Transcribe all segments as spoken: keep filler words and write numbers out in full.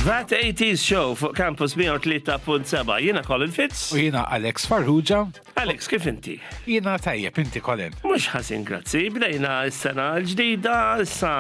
That eighties Show fuq Campus mija u tlieta punt sebgħa. Jiena Colin Fitz. U jiena Alex Farrugia. Alex, kif inti? Jiena tajjeb, inti, Colin? Mhux ħażin, grazzi. Bdejna s-sena l-ġdida, issa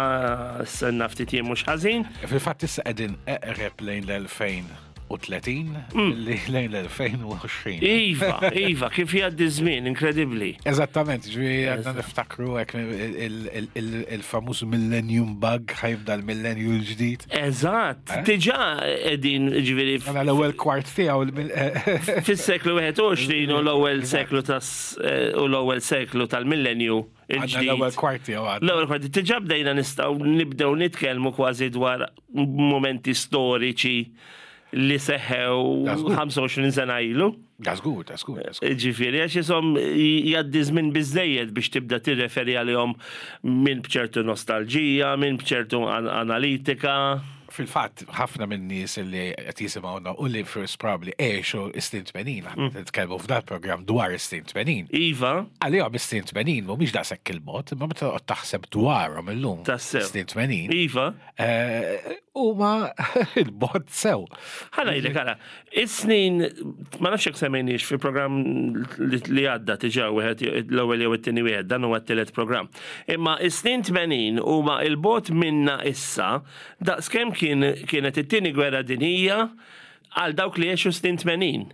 s-sena ftit jiem mhux ħażin. Fil-fatt issa qegħdin eqreb lejn l-elfejn u tletin li lejn l-elfejn u għoxrin. Iva, iva, kif jgħaddi żmien, inkredibbli. Eżattament, ġifieri għadna niftakru hekk il- il- il-famuż Millennium Bug, ħa jibda l-millennium l-ġdid. Eżatt, Eh? diġà qegħdin ġifieri Għana l-ewwel kwart tiegħu il- fis-seklu wieħed u għoxrin u l-ewwel seklu tas eh, u l-ewwel seklu tal-millenju Għandna il-ġdid. l-ewwel kwart tiegħu għadna. L-ewwel kwarti diġà bdejna nistgħu nibdew nitkellmu kważi dwar momenti storiċi li seħħew Da żgur. ħamsa u għoxrin sena ilu. Da żgur, da żgur, da żgur. Ġifieri, għax jisom jgħaddi żmien biżejjed biex tibda tirreferi għalihom minn bċertu nostalġija, minn bċertu an analitika. Fil-fatt, ħafna minn nies li qed jisimgħuna u li first probably għexu is-snin tmenin, aħna nitkellmu f'dal programm dwar is-snin tmenin. Iva, Għalihom is-snin tmenin mhumiex daqshekk il-mod, imma meta toqgħod taħseb dwarhom illum. Tassew. Snin tmenin. Iva. eh, Huma il-bogħod sew. Ħa ngħidlek, għara, is-snin, ma nafx jekk semmejniex fi programm li li għadda diġà wieħed l-ewwel jew it-tieni wieħed, dan huwa t-tielet programm. Imma is-snin tmenin huma il-bogħod minna issa daqskemm kien kienet it-tieni gwerra dinjija għal dawk li għexu snin tmenin.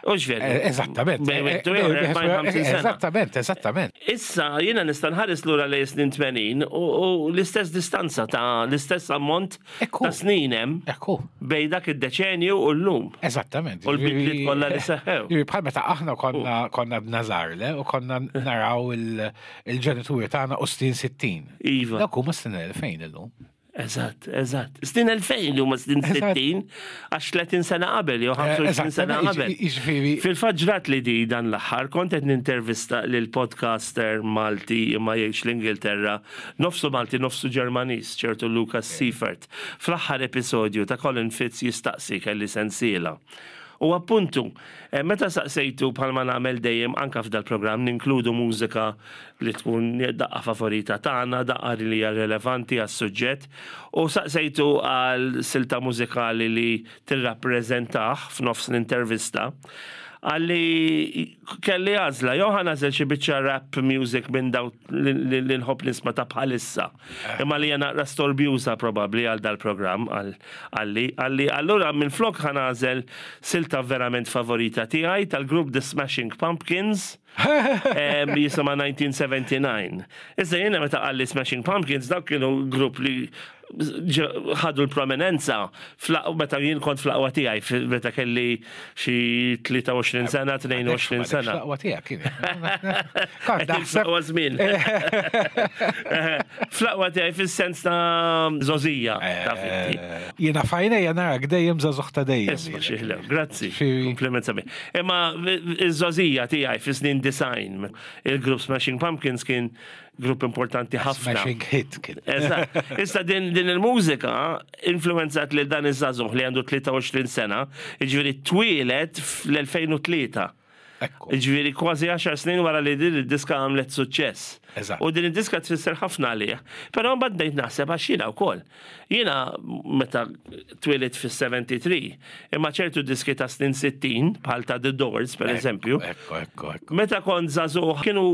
U veru? Eh, Eżattament. Bejn Eh, wieħed u ieħor, erbgħin, ħamsin sena. Eżattament, eżattament. Issa jiena nista' nħares lura lejn snin tmenin u u l-istess distanza ta' l-istess ammont Ekku. ta' snin hemm Ekku. bejn dak id-deċenju u llum. Eżattament. U l-bidliet kollha li seħħew. Ġifieri bħal meta aħna konna konna b'nażarle u konna naraw il- il-ġenituri tagħna u snin sittin. Iva. Dak huma snin elfejn illum. Eżatt, eżatt. Snin elfejn li huma snin Eżatt. sittin, għax tletin sena qabel jew ħamsa u għoxrin sena qabel. Jiġifieri Fil-fatt ġrat li di dan l-aħħar kont qed nintervista lil podcaster Malti imma jgħix l-Ingilterra, nofsu Malti, nofsu Ġermaniż, ċertu Lucas Seifert. Fl-aħħar episodju ta' Colin Fitz jistaqsi kelli sensiela. U appuntu, eh, meta saqsejtu, bħalma nagħmel dejjem anka f'dal programm ninkludu mużika li tkun daqqa favorita tagħna, daqqa li hija relevanti għas-suġġett, u saqsejtu għal silta mużikali li tirrappreżentah f'nofs l-intervista. Qalli kelli għażla, jew ħa nagħżel xi biċċa rap music minn daw li li nħobb nisma' ta' bħalissa. Imma li hija naqra storbjuża probabbli għal dal-programm, qalli qalli allura minn flok ħa nagħżel silta verament favorita tiegħi tal-grupp The Smashing Pumpkins, em, jisimha nineteen seventy-nine. Issa jiena meta qalli Smashing Pumpkins, dawk kienu grupp li ġ- ħadu l-prominenza fl- meta jien kont fl-aqwa tiegħi, fi- meta kelli xi tlieta u għoxrin sena, tnejn u għoxrin sena. L-aqwa tiegħek kien. Kont naħseb Fl-aqwa żmien. Fl-aqwa tiegħi fis-sens ta' żgħożija ta' inti. Eh, Jiena f'għajnejja narak dejjem żagħżugħ ta' dejjem. Isma' xieħlew, grazzi, Xi- kompliment sabiħ. Imma iż-żgħożija tiegħi fi snin disgħin, il-grupp Smashing Pumpkins kien grupp importanti ħafna. Smashing hit kien. Eżatt. Issa din, din il-mużika influenzat li dan iż-żagħżugħ li għandu tlieta u għoxrin sena, jiġifieri twieled fl-elfejn u tlieta. Ekku. Ġifieri kważi għaxar snin wara li din id-diska għamlet suċċess. Eżatt. U din id-diska tfisser ħafna għalih. Però mbagħad bdejt naħseb għax jiena wkoll. Jiena meta twelidt fis-sebgħa u sebgħin, imma ċertu diski ta' snin sittin, bħal ta' The Doors, per eżempju, Ekku, ekku, ekku. meta kont żagħżugħ kienu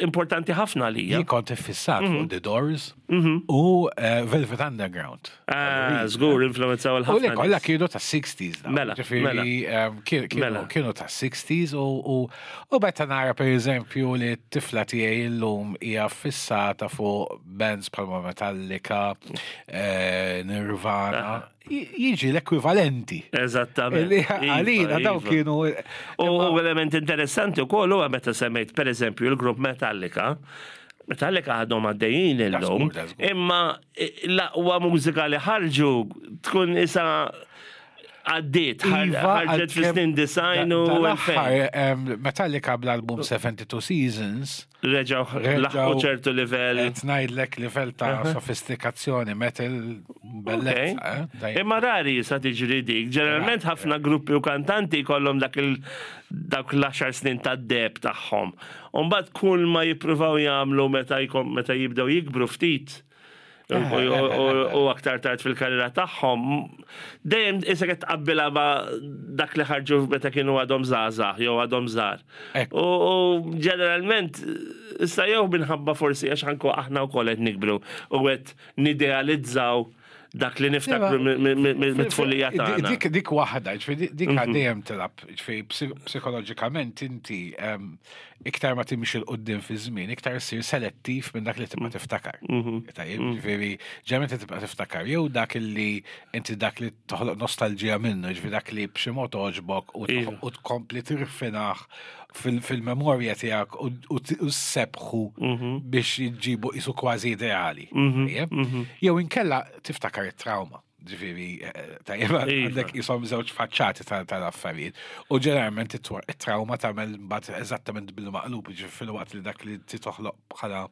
importanti ħafna għalija. Jien kont iffissat fuq The Doors u eh, Velvet Underground. Ah, żgur influenzaw U li il-ħafna. kollha nies. kienu ta' sixties. Dawn. Mela, Ġifieri, mela. em, kien- kienu Mela. kienu ta' sixties u u u meta nara, per eżempju, li t-tifla tiegħi illum hija fissata fuq bands bħalma Metallica, eh, Nirvana, j- jiġi l-ekwivalenti. Eżattament. Li Iva, għalina daw iva. kienu. U element interessanti ukoll huwa meta semmejt, per eżempju, il-grupp Metallica. Metallica għadhom għaddejjin illum, żgur, da żgur. imma l-aqwa mużika li ħarġu tkun isa għaddiet, Iva, ħarġet fi snin disgħin u elfejn. Dal-aħħar, Metallica bl-album seventy-two Seasons, Reġaw reġgħu laħqu ċertu livell. qed ngħidlek livell ta' sofistikazzjoni metal bellezza, eh? Tajjeb. Imma rari sa tiġri dik. Ġeneralment ħafna gruppi u kantanti kollhom dak il dak l-għaxar snin ta' deheb tagħhom. U mbagħad kull ma jippruvaw jagħmlu meta jkom meta jibdew jikbru ftit u- u- u- u aktar tard fil-karriera tagħhom, dejjem issa qed tqabbilha ma' dak li ħarġu meta kienu għadhom żgħażagħ jew għadhom żgħar. Ekku. U u ġeneralment issa jew minħabba forsi għax anko aħna wkoll qed nikbru u qed nidealizzaw dak li niftakru mit-tfulija tagħna. Dik dik waħda, ġifieri dik dejjem tilgħab, ġifieri psi- psikoloġikament inti em, iktar ma timxi 'l quddiem fi żmien, iktar issir selettiv minn dak li tibqa' tiftakar. Tajjeb, ġifieri ġeneralment tibqa' tiftakar jew dak li inti dak li toħloq nostalġija minnu, ġifieri dak li b'xi mod toġbok u Iva. u tkompli tirfinah fil- fil-memorja tiegħek u- u t- u ssebħu biex jġibu isu kważi ideali. Tajjeb? Jew inkella tiftakar it-trauma. Ġifieri, eh, tajjeb, Iva. għandek jisom żewġ faċċati tal- tal-affarijiet. U ġeneralment it-trauma tagħmel mbagħad eżattament bil-maqlub, ġifieri fil-waqt li dak li toħloq bħala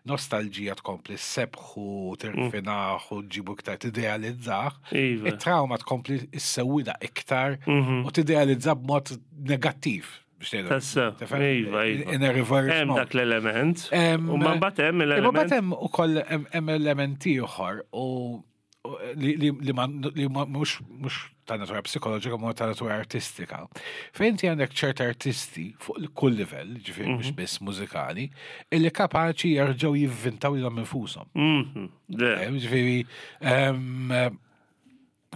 nostalġija tkompli ssebħu, tirfinah u ġibu iktar tidealizzah. Iva. It-trauma tkompli issewwida iktar u tidealizza b'mod negattiv, biex ngħidu. Tassew, Tifhem? iva, iva. In a reverse Hemm mode. dak l-element. Em, U ma mbagħad hemm Imma l-element. mbagħad hemm ukoll hemm hemm element ieħor u u li li li ma li ma mhux mhux ta' natura psikoloġika, ma ta' natura artistika. Fejn inti għandek ċert artisti fuq kull livell, ġifieri mhux biss mużikali, illi kapaċi jerġgħu jivvintaw lilhom infushom. Mhm, le. Eh, Ġifieri, em,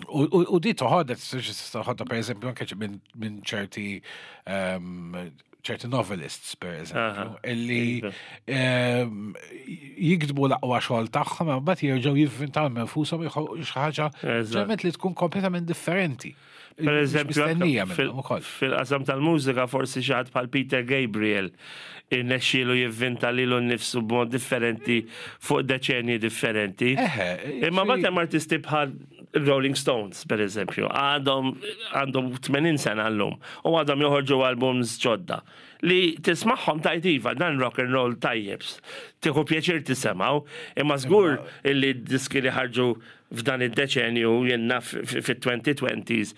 u- u u di toħodha, toħodha, per eżempju, anke minn minn ċerti em, ċerti novelists, per eżempju, Aha, illi iva. em, jiktbu l-aqwa xogħol tagħhom, imma mbagħad jerġgħu jivvintaw minn infushom jħolqu xi ħaġa Eżatt. ġeneralment li tkun kompletament differenti. Per eżempju, mistennija anke minnhom ukoll. fil-qasam tal-mużika forsi xi ħadd bħal Peter Gabriel irnexxielu jivvinta lilu nnifsu b'mod differenti fuq deċenji differenti. Eħe, Imma ġifieri- mbagħad hemm artisti bħal Rolling Stones, per eżempju, għadhom għandhom tmenin sena llum u għadhom joħorġu albums ġodda li tismagħhom tgħid, "Iva, dan rock and roll tajjeb." Tieħu pjaċir tisimgħu, imma żgur illi diski li ħarġu f'dan id-deċenju jenna fit-twenty twenties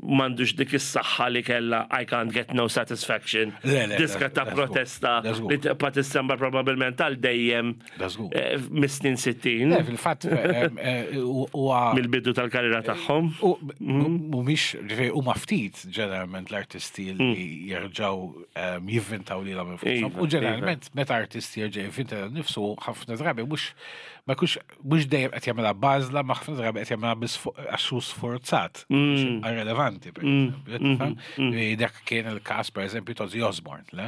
m'għandux dik is-saħħa li kella I Can't Get No Satisfaction. Le, le, Diska ta' da żgur, protesta da żgur. li tibqa' tissemma probabbilment għal dejjem Da żgur. eh, mis-snin sittin Le, fil-fatt em, eh, huwa mill-bidu tal-karriera tagħhom. U mhumiex, ġifieri, huma ftit ġeneralment l-artisti li jerġgħu em, jivvintaw lilhom infushom. Iva, U ġeneralment meta artisti jerġa' jivvinta nifsu, ħafna drabi mhux ma jkunx mhux dejjem qed jagħmilha b'għażla, ma ħafna drabi qed jagħmilha biss għax hu sforzat biex jibqa' relevanti, per eżempju. Tifhem? Li dak kien il-każ, per eżempju, ta' Ozzy Osbourne, le?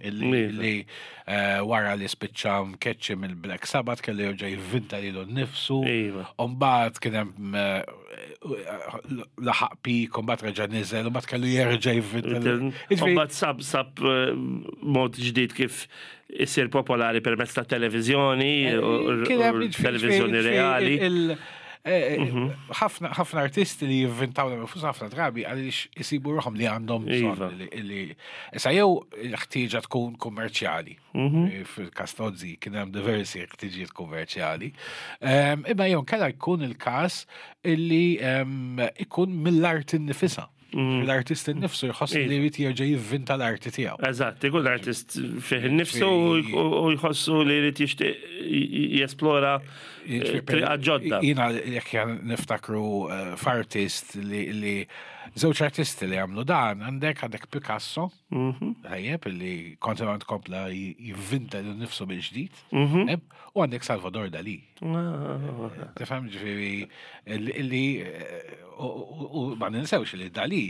Illi Iva. li eh, wara li spiċċa mkeċċi mill-Black Sabbath kellu jerġa' jivvinta lilu nnifsu. Iva. Umbagħad kien hemm eh, laħaq peak, umbagħad reġa' niżel, umbagħad kellu jerġa' jivvinta. Jiġifieri- Mbagħad sab sab eh, mod ġdid kif isir popolari permezz ta' televiżjoni u Kien hemm u jiġifieri- televiżjoni jiġifieri reali. il- eh, ħafna ħafna artisti li jivvintaw l ħafna drabi għaliex isibu ruħhom li għandhom Iva. bżonn li- li issa jew il-ħtieġa tkun kummerċjali. Fil-każ ta' Ozzy kien hemm diversi ħtiġijiet kummerċjali. Em, Imma jew kella jkun il-każ illi em, ikun mill-art innifisha. L-artist innifsu jħoss li jrid jerġa' jivvinta l-arti tiegħu. Eżatt, ikun l-artist fih innifsu u u jħossu li jrid jixtieq jesplora eh, triqa ġodda. Jiena jekk jan niftakru eh, f'artist li li żewġ artisti li għamlu dan, għandek għandek Picasso, tajjeb, li kontinwament kompla jivvinta lilu nnifsu mill-ġdid, tajjeb, u għandek Salvador Dali. Ah, Tifhem ġifieri li li, eh, u u- u ma ninsewx li Dali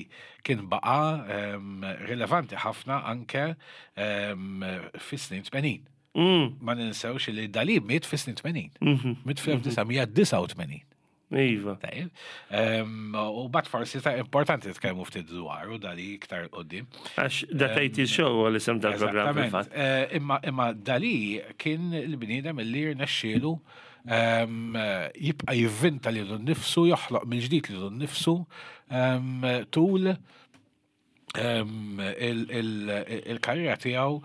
kien baqa em, rilevanti ħafna anke em, fis-snin tmenin. Mm, Ma ninsewx li Dali miet fis-snin tmenin. Miet fl-elf disa' mija disgħa u tmenin. Iva. Tajjeb. Em, U bat forsi ta' importanti tkellmu ftit dwar u Dali iktar qoddim. Għax That eighties Show għal isem tal-programm Eżattament. fil-fatt. Eh, Imma imma Dali kien il-bniedem li rnexxielu em, jibqa' jivvinta lilu nnifsu, joħloq mill-ġdid lilu nnifsu em, tul em, il- il- il-karriera tiegħu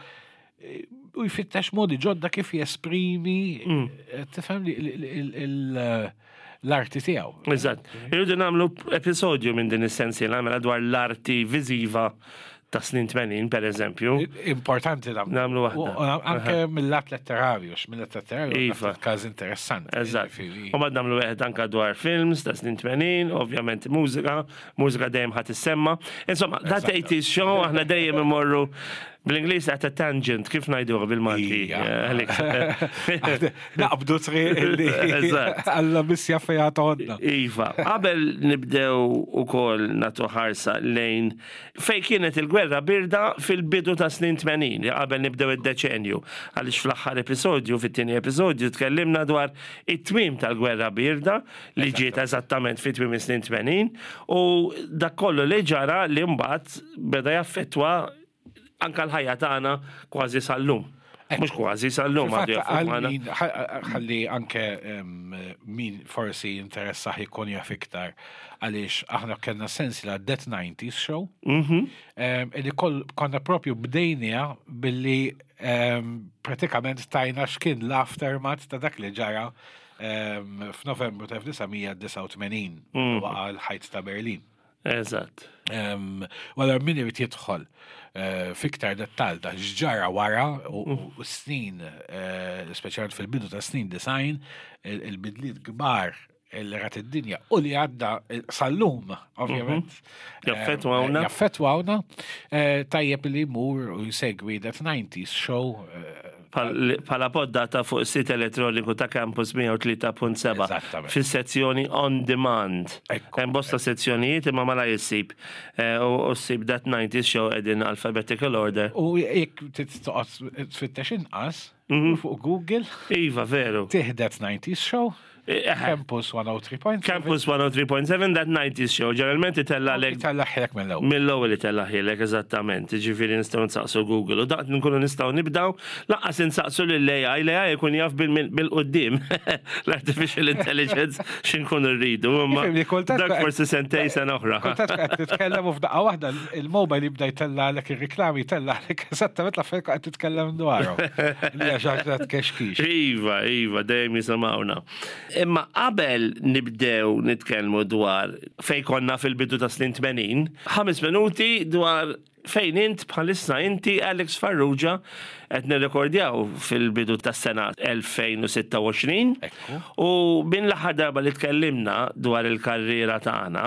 eh, u jfittex modi ġodda kif jesprimi, eh, tifhem li il- il- il- l-arti tiegħu. Eżatt. Irridu nagħmlu episodju minn din is-sensiela mela dwar l-arti viżiva ta' snin tmenin, per eżempju. Importanti nagħmlu. Nagħmlu waħda. U- u Anke mill-lat letterarju, x mill-lat letterarju, Iva. naf każ interessanti. Eżatt. Ġifieri. U mbagħad nagħmlu wieħed anka dwar films ta' snin tmenin, ovvjament mużika, mużika dejjem ħadd issemma. Insomma, That eighties Show aħna dejjem imorru bl-Ingliż at a tangent, kif ngħiduha bil-Malti? Ija. Eh, Alex? Naqbdu triq li Eżatt. Alla missja fejha toħodna. Iva, qabel nibdew ukoll nagħtu ħarsa lejn fej kienet il-gwerra birda fil-bidu ta' snin tmenin, qabel nibdew id-deċenju. Għaliex fl-aħħar episodju, fit-tieni episodju, tkellimna dwar it-tmim tal-gwerra birda li ġiet eżattament fit-tmim snin tmenin u dak kollu li ġara li mbagħad beda jaffettwa anka l-ħajja tagħna kważi sal-lum. Mhux kważi sal-lum għadu jaffettwana. Ħalli anke em, min forsi jinteressah jkun jaf iktar għaliex aħna kellna sensiela That nineties Show Mhm. em, illi koll konna propju bdejnija billi em, pratikament tajna x'kien l-aftermath ta' dak li ġara em, f'Novembru ta' elf disa' mija disgħa u tmenin waqa l-ħajt ta' Berlin. Eżatt. Um, Wara min irid jidħol eh, fiktar dettal ta' x'ġara wara u u snin, eh, speċjalment fil-bidu ta' snin disgħin, il- il-bidliet kbar li rat id-dinja u li għadda eh, sal-lum, ovvjament. Jaffettwawna. Eh, Jaffettwawna. Eh, Tajjeb li jmur u jsegwi That nineties Show eh, Pala poddata fuq sit elettroniku ta' Campus mija u tlieta punt seba' Eżattament. fis-sezzjoni On Demand. Ekku. Hemm bosta sezzjonijiet imma mala jissib. Eh, U u ssib That nineties Show qegħdin alphabetical order. U jekk tittoqgħod tfittex inqas fuq Google, Iva, veru. tih That nineties Show, Eh, Campus mija u tlieta punt seba. Campus mija u tlieta punt seba That nineties Show. Ġeneralment itellagħlek Tellagħlek mill-ewwel. Mill-ewwel itellagħlek eżattament, ġifieri nistgħu nsaqsu Google. U daqt nkunu nistgħu nibdaw, lanqas insaqsu lill-A I, l-A I jkun jaf bil- bil-qudiem l-artificial intelligence x'inkunu rridu. Imma Ifhem li kultant dak forsi sentej sena oħra. Kultant qed titkellem u f'daqqa waħda il-mobile jibda jtellagħlek ir-riklami, jtellagħlek eżattament l-affarijiet qed titkellem dwarhom. Li għax ħaġa tkexkix. Iva, iva, dejjem jisimgħuna. Imma qabel nibdew nitkellmu dwar fej konna fil-bidu ta' snin tmenin, ħames minuti dwar fejn int bħalissa inti Alex Farrugia. Qed nirrekordjaw fil-bidu tas-sena elfejn u sitta u għoxrin. Ekku. U minn l-aħħar darba li tkellimna dwar il-karriera tagħna,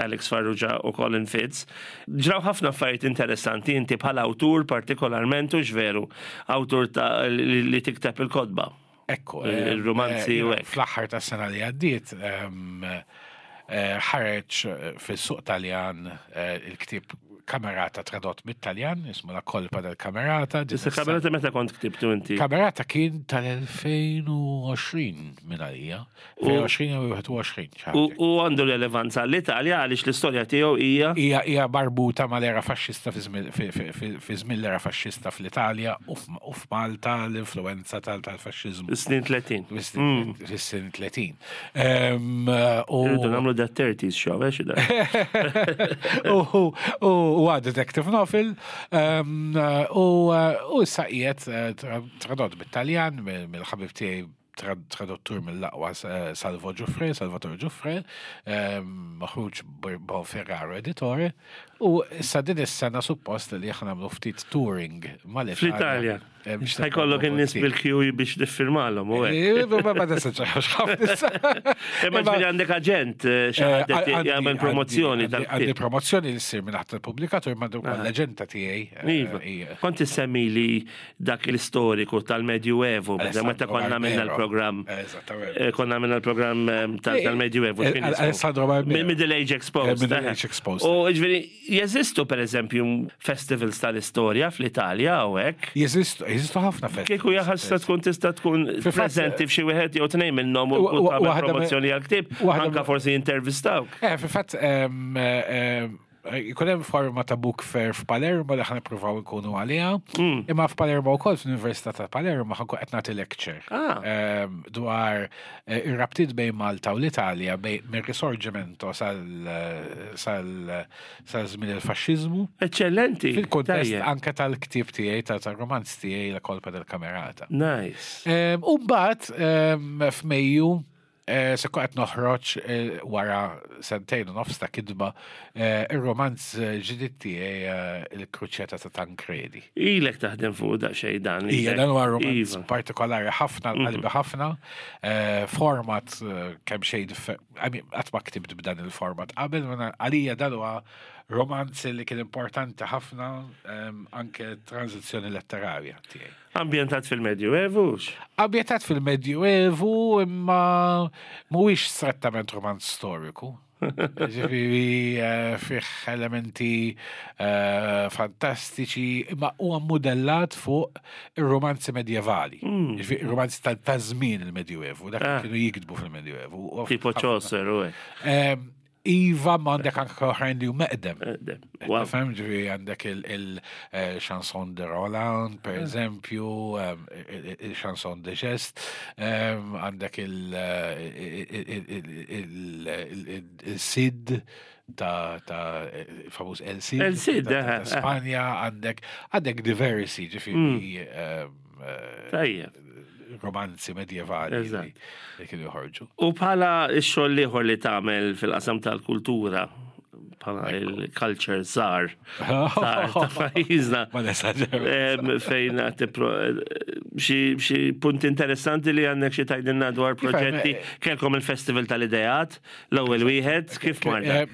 Alex Farrugia u Colin Fitz, ġraw ħafna affarijiet interessanti inti bħala awtur partikolarment u veru, awtur ta' li li tikteb il-kotba. Ekku. Il-romanzi eh, u hekk. Fl-aħħar tas-sena li għaddiet em, eh, ħareġ eh, fis-suq Taljan eh, il-ktieb Camerata tradott mit-Taljan, jismu La Colpa del Camerata. Din Issa is-sena- Camerata meta kont ktibtu inti? Camerata kien tal-elfejn u għoxrin minn għalija. elfejn u għoxrin u wieħed u għoxrin. Xi U ħaġa. u għandu relevanza l-Italja għaliex l-istorja tiegħu hija Hija hija marbuta mal-era faxxista fi żmien- fi- fi- fi- fi żmien l-era faxxista fl-Italja u f- u f'Malta l-influenza tal- tal-faxxiżmu. snin tletin. Fis-snin tletin. Em, U Irridu nagħmlu That thirties Show, eh, xi da? u u u detective novel um, u u issa qiegħed eh, tra- tradott bit-Taljan mill- mill-ħabib tiegħi traduttur mill-aqwa, Salvo Giuffre, Salvatore Giuffre, maħruġ Bonferraro Editore, u issa din is-sena suppost li aħna nagħmlu ftit touring mal-Italja. Fl-Italja. Ħa jkollok in-nies bil-queue biex tiffirmalhom u hekk. Ma tistax ħafna. Imma ġifieri għandek aġent xi ħadd jagħmel promozzjoni tal Għandi promozzjoni li ssir minn taħt il-pubblikatur, ma l-aġenta tiegħi. Iva. Kont issemmi li dak l-istoriku tal-Medjuevu, meta konna minna l-programm. Konna minna l-programm tal-Medjuevu. Alessandro Barbero. Middle Age Exposed. Middle Age Exposed. U ġifieri, jeżistu per eżempju festivals tal-istorja fl-Italja u hekk? Jeżistu, jeżistu ħafna festivals. Kieku jaħasra tkun tista' tkun preżenti f'xi wieħed jew tnejn minnhom u tagħmel promozzjoni għall-ktieb, anka forsi intervistawk. Eh, fil-fatt jkun hemm forma ta' book fair f'Palermo li ħa nippruvaw nkunu għaliha. Imma f'Palermo wkoll, fl-Università ta' Palermo, ħa nkun qed nagħti lecture dwar ir-rabtiet bejn Malta u l-Italja bejn mir-Risorgimento sal sal żmien il-faxxiżmu. Eccellenti. Fil-kuntest anke tal-ktieb tiegħi, tal-romanz tiegħi, La Colpa del Camerata. Nice. U mbagħad f'Mejju se qed noħroġ, wara sentejn u nofs ta' kitba, ir-romanz ġdid tiegħi, Il-Kruċjata ta' Tancredi. Ilek taħdem fuq daqsxejn dan. Ija, dan huwa romanz partikolari ħafna, qalbi ħafna, format kemm xejn, qatt ma ktibt b'dan il-format qabel, għalija dan huwa romanz li kien importanti ħafna anke tranzizzjoni letterarja tiegħi. Ambjentat fil-Medjuevu? Ambjentat fil-Medjuevu, imma mhuwiex strettament romanz storiku. Ġifieri fih elementi fantastiċi, imma huwa modellat fuq ir-romanzi medjevali. Ġifieri ir-romanzi ta' żmien il-Medjuevu, dak kienu jiktbu fil-Medjuevu. Tipo Chaucer u Iva, ma għandek anke oħrajn li huma eqdem. Fem, ġifieri għandek il-Chanson de Roland, per eżempju, il-Chanson de Geste, għandek il-Cid, ta' famuż El Cid. El Cid, ta' Spanja, għandek għandek diversi, ġifieri. Tajjeb. Romanzi medjevali li kienu joħorġu. U bħala x-xogħol ieħor li tagħmel fil-qasam tal-kultura, bħala il-culture czar ta' pajjiżna. Ma nesaġer. Fejn xi punt interessanti li għandek xi tgħidilna dwar proġetti? Kellkom il-Festival tal-Ideat, l-ewwel wieħed, kif marda?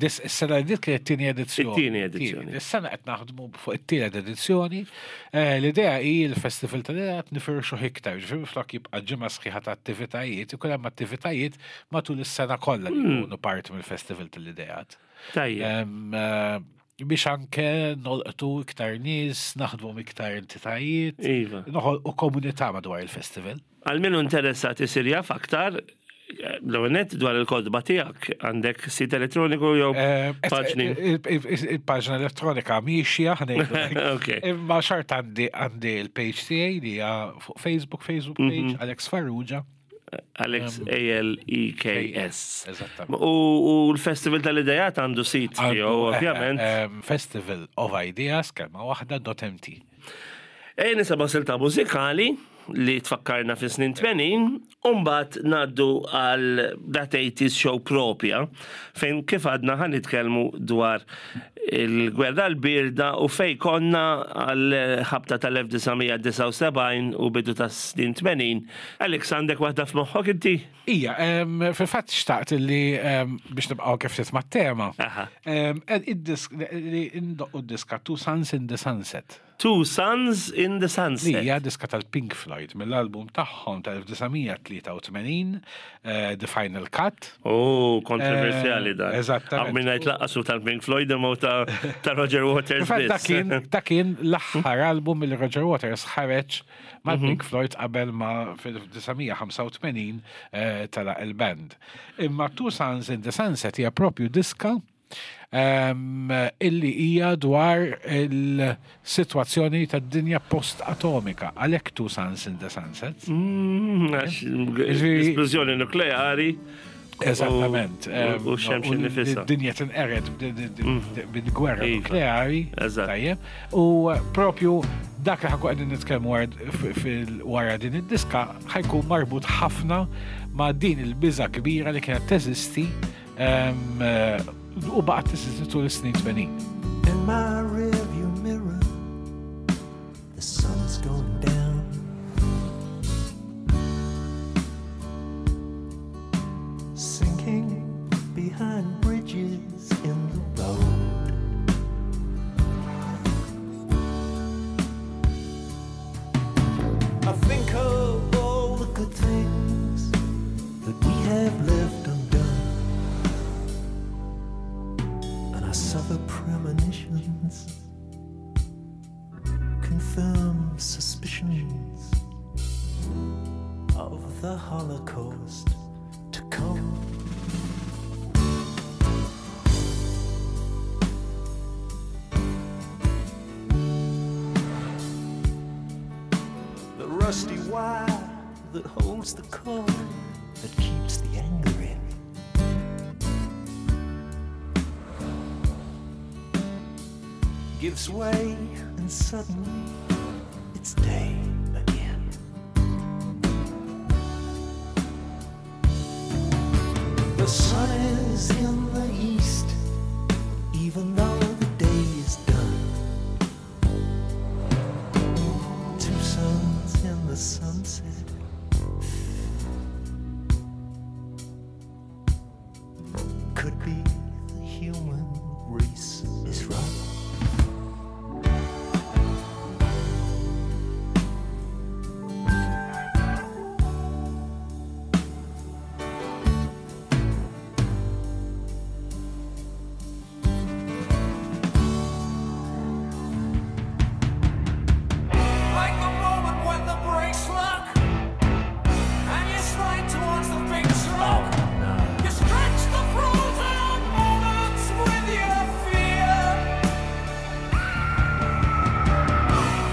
Is-sena li kienet it-tieni edizzjoni. It-tieni edizzjoni. Is-sena qed naħdmu fuq it-tielet edizzjoni. L-idea hi l-Festival tal-Ideat nifirxu iktar, ġifieri flok jibqa' ġimgħa sħiħa ta' attivitajiet, ikun hemm attivitajiet matul is-sena kollha li jkunu parti mill-Festival tal-Ideat. Tajjeb. Biex anke nolqtu iktar nies, naħdmu iktar entitajiet, Iva. u komunità madwar il-festival. Għal min interessat isir jaf aktar, l-għonet dwar il-kotba tiegħek, għandek sit elettroniku jew paġni? Il-paġna elettronika miexja, imma xort għandi għandi il-page tiegħi li hija fuq Facebook, Facebook page, Alex Farrugia. Alex, A L E K S. Eżattament. U l-Festival tal-Idejat għandu sit tiegħu, ovvjament. Festival of Ideas, kelma waħda, dot M T. E nisimgħu silta mużikali li tfakkarna fi snin tmenin, u mbagħad ngħaddu għal That eighties Show propja, fejn kif għadna ħa nitkellmu dwar il-gwerra l-birda u fej konna għal ħabta tal-elf disa' mija disgħa u sebgħin u bidu ta' snin tmenin. Alex, għandek waħda f'moħħok inti? Ija, fil-fatt xtaqt li biex nibqgħu kif titma' tema. Id-disk li indoqqu, d-diska Two Suns in the Sunset. Two Suns in the Sunset. Li hija diska tal-Pink Floyd mill-album tagħhom tal-elf disa' mija tlieta u tmenin, The Final Cut. Oh, kontroversjali dan. Eżattament. Għaw minna jtlaqqasu tal-Pink Floyd imma ta' ta' Roger Waters. Dak kien l-aħħar album li Roger Waters ħareġ mal-Pink Floyd qabel ma fil-elf disa' mija ħamsa u tmenin telaq il-band. Imma Two Suns in the Sunset hija propju diska um, illi hija dwar il-sitwazzjoni tad-dinja post-atomika. Għalhekk Two Suns in the Sunset. Mm, Esplużjoni nukleari. Eżattament. U x-xemx nifisha. Dinja tinqered bil-gwerra Iva. nukleari. Eżatt. Tajjeb. U propju dak li ħa nkunu qegħdin nitkellmu wara din id-diska ħa jkun marbut ħafna ma' din il-biża kbira li kienet teżisti em, u baqgħet teżisti tul is-snin tmenin. In my rearview mirror, the sun's going down. Sinking behind bridges in the road. I think of all the good things that we have left undone. And I suffer premonitions, confirm suspicions of the Holocaust to come. The rusty wire that holds the cord that keeps the anger in gives way, and suddenly it's day again. The sun is in the east, even though the day is done. Two suns in the sunset. Could be the human race is right. Like the moment when the brakes lock and you slide towards the big truck. You stretch the frozen moments with your fear,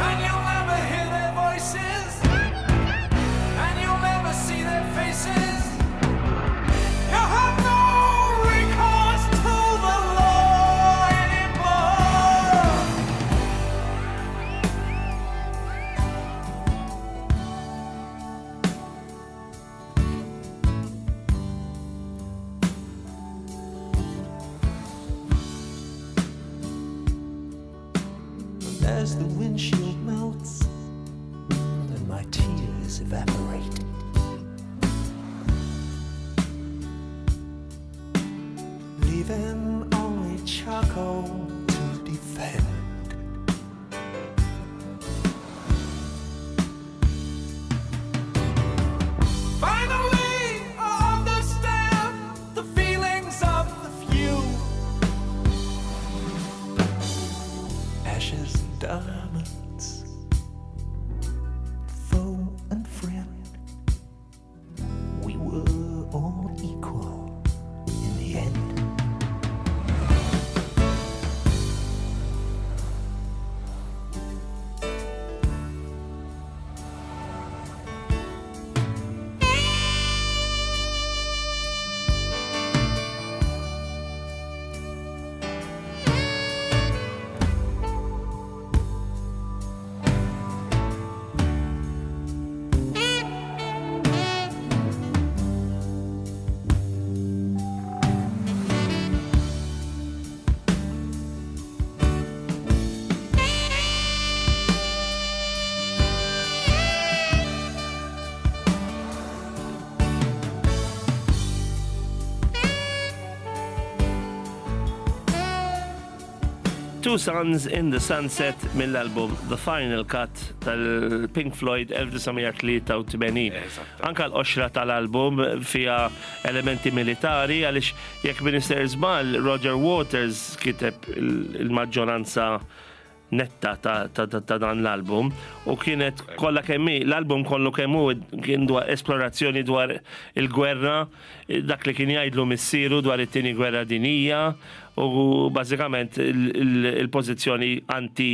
and you'll never hear their voices, and you'll never see their faces. You have no recourse to the law anymore. And as the windshield melts and my tears evaporate, leaving only charcoal to defend. Finally, I understand the feelings of the few. Ashes and diamonds, foe and friend. We were all equal in the end. Two Suns in the Sunset mill-album The Final Cut tal-Pink Floyd elf disa' mija tlieta u tmenin. Anka l-qoxra tal-album fija elementi militari, għaliex jekk m'iniex sejjer żball, Roger Waters kiteb il-maġġoranza netta ta', ta, ta, ta' dan l-album u kienet kollha kemm hi, l-album kollu kemm hu kien dwar esplorazzjoni dwar il-gwerra, dak li kien jgħidlu missieru dwar it-tieni gwerra dinija u bażikament il-pożizzjoni anti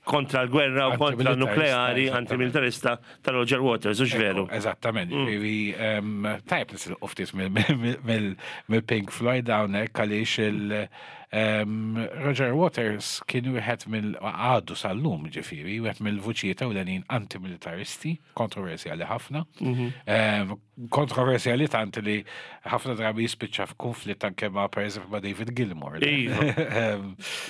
kontra l-gwerra u kontra l-nukleari, antimilitarista ta' Roger Waters, hux veru? Eżattament, ġifieri tajb nisilqu ftit mill-Pink Floyd hawnhekk għaliex il- Roger Waters kien wieħed mill għadu sal-lum ġifieri, wieħed mill-vuċijiet ewlenin antimilitaristi, kontroversjali ħafna. Mhm. Kontroversjali tant li ħafna drabi jispiċċa f'konflitt anke ma' pereżempju ma' David Gilmour. Iva.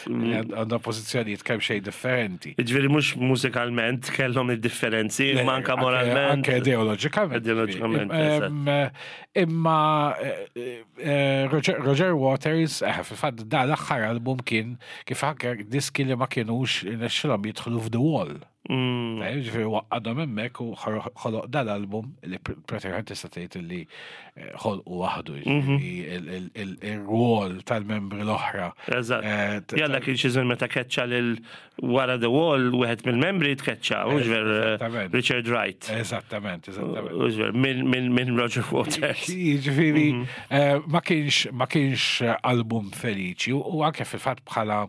Għandha pożizzjonijiet kemm xejn differenti. Ġifieri mhux mużikalment kellhom id-differenzi, imma anke moralment. Anke ideoloġikament. Ideoloġikament. Imma eh, eh, Roger Waters, eh, fil-fatt da l-aħħar album kien kif anke diski li ma kienux nexxilhom jidħlu f'The Wall. Mm. Ġifieri waqqadhom hemmhekk u ħoloq dal-album li pratikament tista' tgħid li eh, ħolqu waħdu Mhm. ġifieri il-rwol tal-membri l-oħra. Eżatt. Eh, Jalla kien xi żmien meta keċċa lil wara The Wall wieħed mill-membri tkeċċa, mhux ver eh, Eżattament. Richard Wright. Eżattament, eżattament. Mhux ver minn min, min Roger Waters. Ġifieri, Mhm. eh, ma kienx ma kienx album feliċi u anke fil-fatt bħala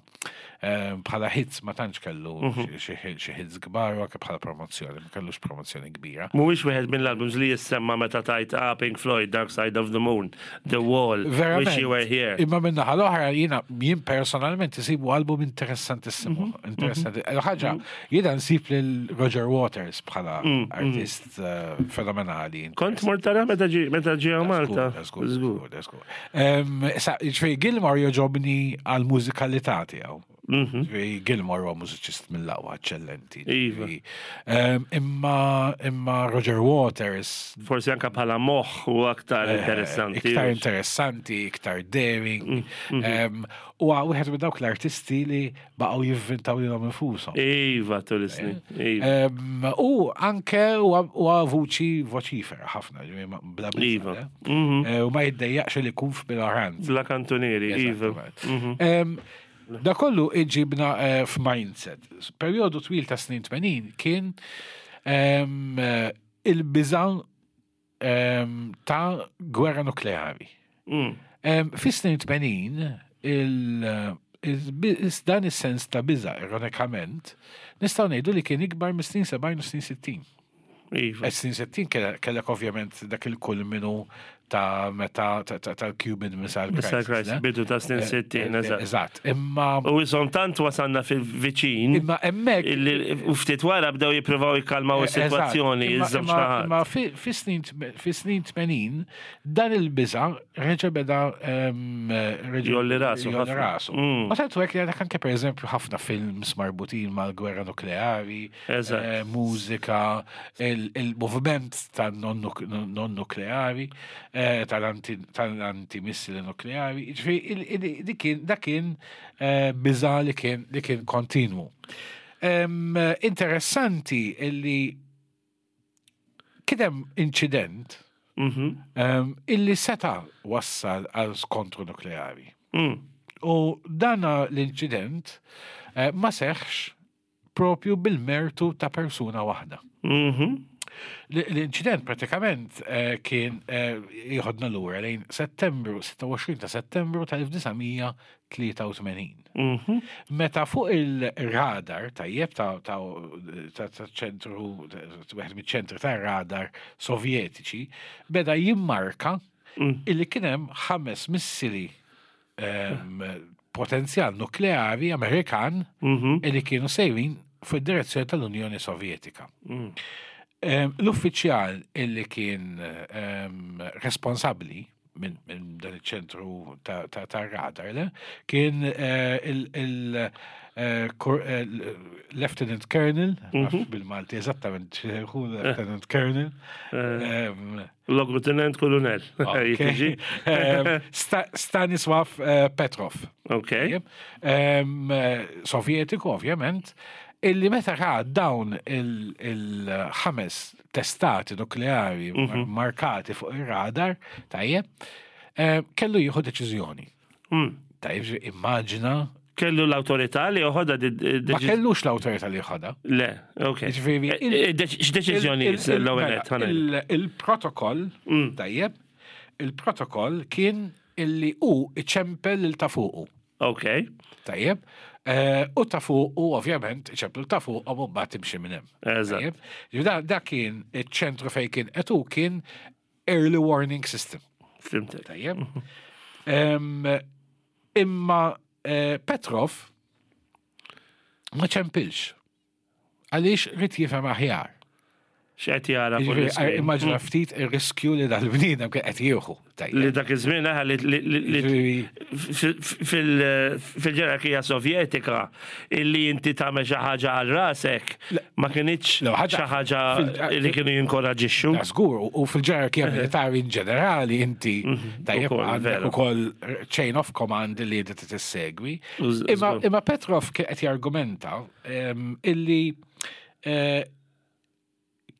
eh, bħala hits ma tantx kellu Mhm. xi xi hits kbar u anke bħala promozzjoni, ma kellux promozzjoni kbira. Mhuwiex wieħed mill-albums li jissemma meta tajt ah, Pink Floyd, Dark Side of the Moon, The Wall, Wish You Were Here. Imma minna l-oħra jiena jien personalment isibu album interessantissimu. Mhm. Interessanti. Ħaġa, jiena nsib lil Roger Waters bħala artist eh, fenomenali. Kont mort tara meta ġi meta ġie Malta. Żgur, żgur, żgur. Em, Sa, ġifieri Gilmour jogħġobni għal-mużikalità tiegħu. Ġifieri Gilmour huwa mużiċist mill-aqwa eċċellenti. Mhm. Iva. Ġifieri, em, Imma imma Roger Waters Forsi anka bħala moħħ u aktar interessanti. Eh, Iktar interessanti, iktar daring. Mm, Em, U wieħed minn dawk l-artisti li baqgħu jivvintaw lilhom infushom. Iva, tul is-snin. Iva. Em, U anke huwa huwa vuċi voċifera ħafna, ġifieri ma- bla biża', Iva. eh? Mhm. Eh, U ma jiddejjaqx li jkun f'minoranza. Bla kantunieri, iva. Eżattament. Em, Da kollu iġibna eh, f'mindset. Perjodu twil ta' snin tmenin kien em, eh, il-biża em, ta' gwerra nukleari. Mm. Em, Fis-snin tmenin, il- il- dan is-sens ta' biża, ironikament, nistgħu ngħidu li kien ikbar mis-snin sebgħin u snin sittin. Iva. Snin sittin kellek ovvjament dak il-kull minu ta' meta ta- ta- tal-Cuban Missile Missile Crisis. Crisis, ne? bidu ta' snin sittin, Eh, eżatt. Eżatt. Imma U jisom tant wasanna fil-viċin. imma hemmhekk illi u ftit wara bdew jippruvaw jikkalmaw is-sitwazzjoni, Eżatt. Imma- iż-żewġ imma- naħat. Imma fi fi snin tme- fi snin tmenin dan il-biża reġa' beda em, reġa' Jolli rasu jolli ħafna. rasu. Mm. Ma tant hekk li għandek anke pereżempju ħafna films marbutin mal-gwerra nukleari, Eżatt. eh, mużika, il- il-moviment tan-non-nukleari, eh, tal-anti- tal-antimissili nukleari. Ġifieri, il- il- dik kien- dak kien eh, biża li kien li kien kontinwu. Em, Interessanti illi kien hemm inċident Mhm. em, illi seta wassal għal skontru nukleari. Mm. U dana l-inċident eh, ma seħx propju bil-mertu ta' persuna waħda. Mhm. L- L-inċident pratikament eh, kien eh, jieħodna lura lejn Settembru, sitta u għoxrin ta' Settembru tal-elf disa' mija tlieta u tmenin. Mhm. Meta fuq il-radar tajjeb ta' ta' ta' ta' ċentru, wieħed miċ-ċentri ta' radar sovjetiċi, beda jimmarka Mm. illi kien hemm ħames missili em, potenzjal nukleari Amerikan Mhm. illi kienu sejrin fid-direzzjoni tal-Unjoni Sovjetika. Mm. Em, L-uffiċjal illi kien em, responsabbli minn min dan iċ-ċentru ta', ta, ta radar, le, kien eh, il, il, eh, kor- eh, l- Lieutenant Colonel, nafx bil-Malti eżattament x'hu Lieutenant Colonel, em, Logutenent Kolonel. ok. Jiġi? Em, Sta- Stanislav eh, Petrov. Ok. Tajjeb. Em, eh, Sovjetiku, ovvjament, illi meta ra dawn il- il-ħames testati nukleari mar- markati fuq ir-radar, tajjeb, em, kellu jieħu deċiżjoni. Mm. Tajjeb, ġi- immaġina, Kellu l-autorità li joħodha di- di- ma kellux l-awtorità li jħodha. Le, ok. Ġifieri, Eh, eh, deċ- X'deċiżjoni Il- il- l-ewwel mela, nett, ħa ngħid. il- Il-protokoll, tajjeb, il-protokoll kien illi hu iċempel il ta' fuqu. Ok. Tajjeb. Eh, U ta' fuq, u ovvjament, ċemplu ta' fuq, u mbagħad timxi minn hemm. Eżatt. Tajjeb. Ġifieri Da da kien iċ-ċentru fejn kien qed hu kien early warning system. Fhimtek. Tajjeb. Em, Imma eh, Petrov ma ċempilx. Għaliex ried jifhem aħjar. X'qed jara fuq Jiġifieri, l-iskrin. Immaġina ftit ir-riskju li dal-bniedem kien qed jieħu. Tajjeb. Li dak iż-żmien eħe li li- li li- Jiġifieri, fil- fil-ġerarkija sovjetika illi inti tagħmel xi ħaġa għal rasek ma kinitx Le, ħaġa- xi ħaġa fil- li kienu jinkoraġixxu. Da żgur, u- u fil-ġerarkija militari in ġenerali inti tajjeb Ukoll, għandek vera. ukoll chain of command li inti tissegwi. U z- Imma żgur. imma Petrov kien qed jargumenta em, illi eh,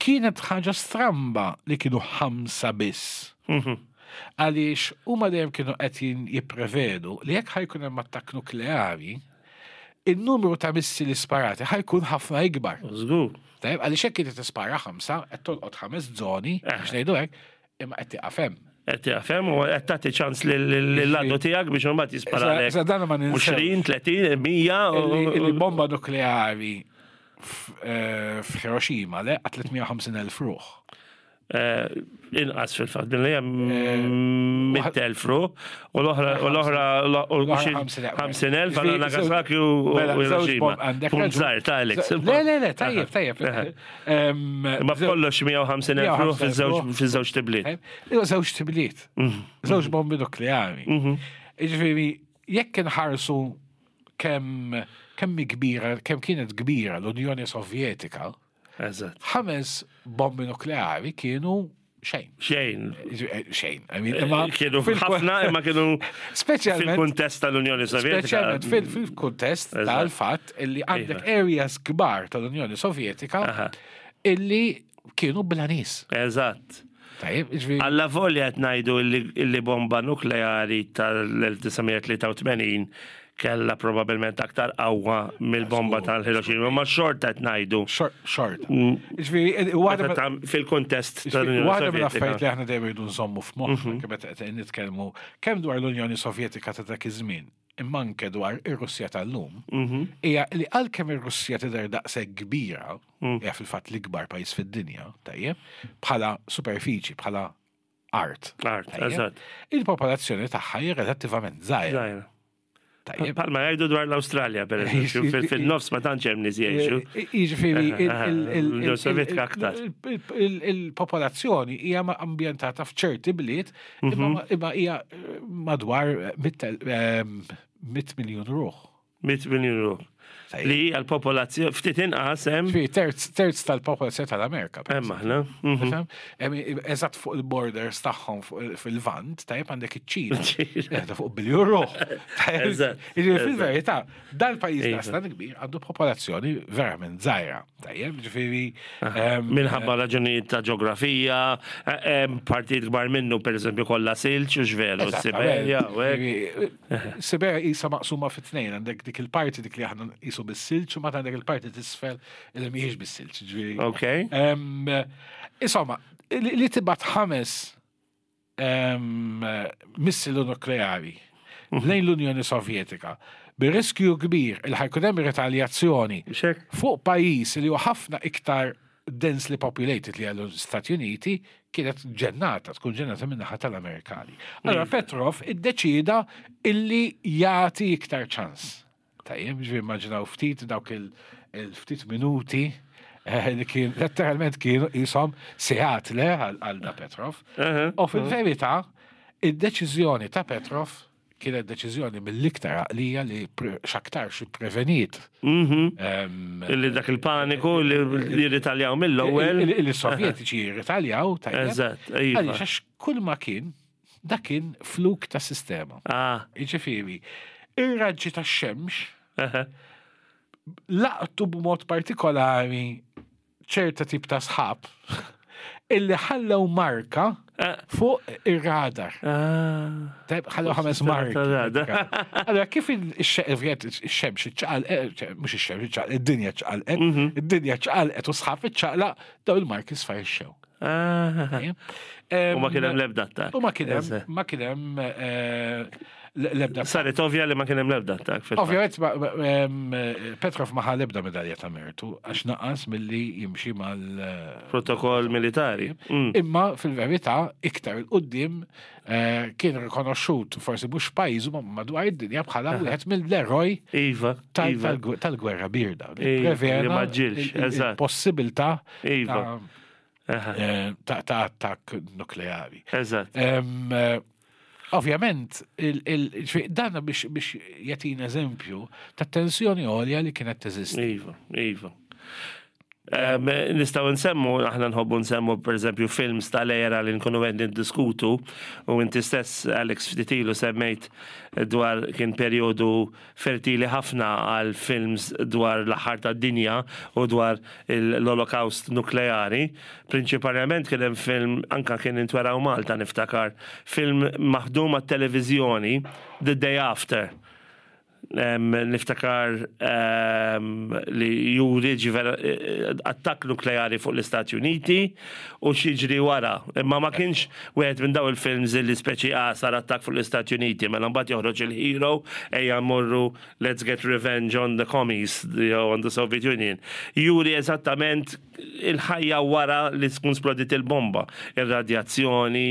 kienet ħaġa stramba li kienu ħamsa biss. Mhm. Għaliex huma dejjem kienu qed jin- jipprevedu li jekk ħa jkun hemm attakk nukleari, il-numru ta' missili sparati ħa jkun ħafna ikbar. Żgur. Tajjeb, għaliex hekk inti tispara ħamsa, qed tolqot ħames żoni, Eh. biex ngħidu hekk, imma qed tieqaf hemm. Qed jafhem u qed tagħti ċans lill-għadu tiegħek biex imbagħad jisparalek. Issa dan ma ninsewx. għoxrin, tletin, mija. Illi illi u- bomba nukleari f- eh, f'Hiroshima le qatlet mija u ħamsin elf ruħ. Eh, Inqas fil-fatt, billi hemm mitt elf ruħ u l-oħra u l-oħra u L-oħra xi ħamsin elf. ħamsin elf għal Nagasaki u u Mela, żewġ Hiroshima. bomb- għandek Punt raġun. żgħir ta' Alex. Le, le, le, tajjeb, tajjeb. Em, Ma b'kollox mija u ħamsin elf ruħ fiż-żewġ ruħ. fiż-żewġ tibliet. Tajjeb, Iwa żewġ tibliet. Mhm. Żewġ bombi nukleari. Jiġifieri, jekk inħarsu kemm kemm hi kbira, kemm kienet kbira l-Unjoni Sovjetika, Eżatt. ħames bombi nukleari kienu xejn. Xejn. Jiġifieri, xejn. I mean, imma Kienu fil- ħafna imma kienu Speċjalment fil-kuntest tal-Unjoni Sovjetika. Speċjalment fil- fil-kuntest Eżatt. tal-fatt illi għandek areas kbar tal-Unjoni Sovjetika Aha. illi kienu bla nies. Eżatt. Tajjeb, jiġifieri, Alla volja qed ngħidu illi- illi bomba nukleari tal-elf disa' mija tlieta u tmenin kella probabilment aktar qawwa mill-bomba tal-Hiroshima, ma xorta qed ngħidu. Xort. xort. Jiġifieri, waħda Meta tam- Fil-kuntest tal-Unjoni Waħda mill-affarijiet li Sovjetika. aħna dejjem irridu nżommu f'moħħna kemm meta qed nitkellmu kemm dwar l-Unjoni Sovjetika ta' dak iż-żmien, imma anke dwar ir-Russja tal-lum, hija li għalkemm ir-Russja tidher daqshekk kbira, hija fil-fatt l-ikbar pajjiż fid-dinja, tajjeb, bħala superfiċi, bħala art. Art, tajjeb, eżatt. Il-popolazzjoni tagħha hija relattivament żgħira. Żgħira. Tajjeb. Palma jgħidu dwar l-Awstralja, per eżempju, fil- fil-nofs ma tantx hemm nies jgħixu. Jiġifieri, il- il- il- L-Unjoni Sovjetika aktar. il- il- il-popolazzjoni hija ma- ambjentata f'ċerti bliet, imma imma hija eh, madwar mitt el- ehm, mitt miljun ruħ. mitt miljun ruħ. Tajjeb. Li hija l-popolazzjoni ftit inqas hemm Ġifieri, terz terz tal-popolazzjoni tal-Amerika. per hemm aħna. Mhm. Tifhem? Em, Eżatt fuq il-borders tagħhom fuq il- fil-Vant, tajjeb, għandek iċ-Ċina. Iċ-Ċina. Qiegħda fuq biljun ruħ. Tajjeb, Eżatt, jiġifieri eżatt. fil-verità, dal-pajjiż Iva. daqstan kbir għandu popolazzjoni verament żgħira. Tajjeb, ġifieri em, Minħabba raġunijiet ta' ġeografija, eh, hemm partijiet kbar minnu per eżempju kollha silġ u x'veru, Eżattament. Siberja u hekk. Ġifieri, Siberja isa maqsuma fit tnejn, għandek dik il-parti dik li aħna qisu bis-silġ u ma għandek il-parti t'isfel li mhijiex bis-silġ. Ġifieri. Ok. Em, Insomma, li li tibgħat ħames em, missilu nukleari lejn l-Unjoni Sovjetika bir-riskju kbir il ħa jkun hemm retaljazzjoni Xek? fuq pajjiż li huwa ħafna iktar densely populated li għallu Stati Uniti kienet ġennata, tkun ġennata min-naħa tal-Amerikani. Allora Petrov iddeċida illi jagħti iktar ċans. Tajjeb, ġifieri immaġinaw ftit dawk il- il-ftit minuti eh, li kien letteralment kienu jisom sigħat le għal għal da Petrov. U fil-verità, id-deċiżjoni ta' Petrov kienet deċiżjoni mill-iktar għaqlija li pre- x'aktarx preveniet. Em, Illi dak il-paniku li li ritaljaw mill-ewwel. Il- Il-Sovjetiċi jirritaljaw, tajjeb. Eżatt, iva. Għaliex għax kull ma kien, dak kien fluk ta' sistema. Ah, Jiġifieri, ir-raġġi tax-xemx aha. laqtu b'mod partikolari ċerta tip ta' sħab illi ħallew marka Ah. fuq ir-radar. Ah. Tajb, ħallew ħames Sistema marki. tar-radar. Allora, kif il-xemx iċċaqalqet, mhux ix-xemx iċċaqalqet, id-dinja ċaqalqet, Mhm. id-dinja ċaqalqet u sħab iċċaqlaq, daw il-marki sfarixxew. Ah. Tajjeb. U ma kien hemm l-ebda attakk. U ma kien hemm, Eżatt. ma kien hemm eh, l-ebda. Saret ovvja li ma kien hemm l-ebda attakk fil-fatt. Ovvjament, ma- ma- em, Petrov ma ħa l-ebda medalja ta' mertu għax naqas milli jimxi mal Protokoll militari. Mm. Imma fil-verità iktar 'il quddiem eh, kien rikonoxxut forsi mhux pajjiżu ma madwar id-dinja bħala wieħed mill-eroj Iva, tal- iva. tal- tal-gwerra birda. Li Iva, li prevena ma ġilx, il- il- eżatt. il-possibilità Iva. ta' Aha, eh, ta' ta' attakk nukleari. Eżatt. Em, eh, Ovvjament, il- il- ġifieri, dan biex biex jagħtina eżempju ta' tensjoni għolja li kienet teżisti. Iva, iva. Um, Nistgħu nsemmu, aħna nħobbu nsemmu per eżempju films tal-era li nkunu qed niddiskutu u inti stess Alex ftit ilu semmejt dwar kien perjodu fertili ħafna għal films dwar l-aħħar tad-dinja u dwar l-Holocaust nukleari. Prinċipalment kien hemm film anka kien intweraw Malta niftakar, film maħdum għat-televiżjoni The Day After. Em, niftakar em, li juri ġiver eh, attakk nukleari fuq l-Istati Uniti u x'jiġri wara. Imma ma kienx wieħed minn daw il-films li speċi ah, sar attakk fuq l-Istati Uniti, mela mbagħad joħroġ il-hero ejja mmorru let's get revenge on the commies, jew on the Soviet Union. Juri eżattament il-ħajja wara li tkun splodit il-bomba, ir-radjazzjoni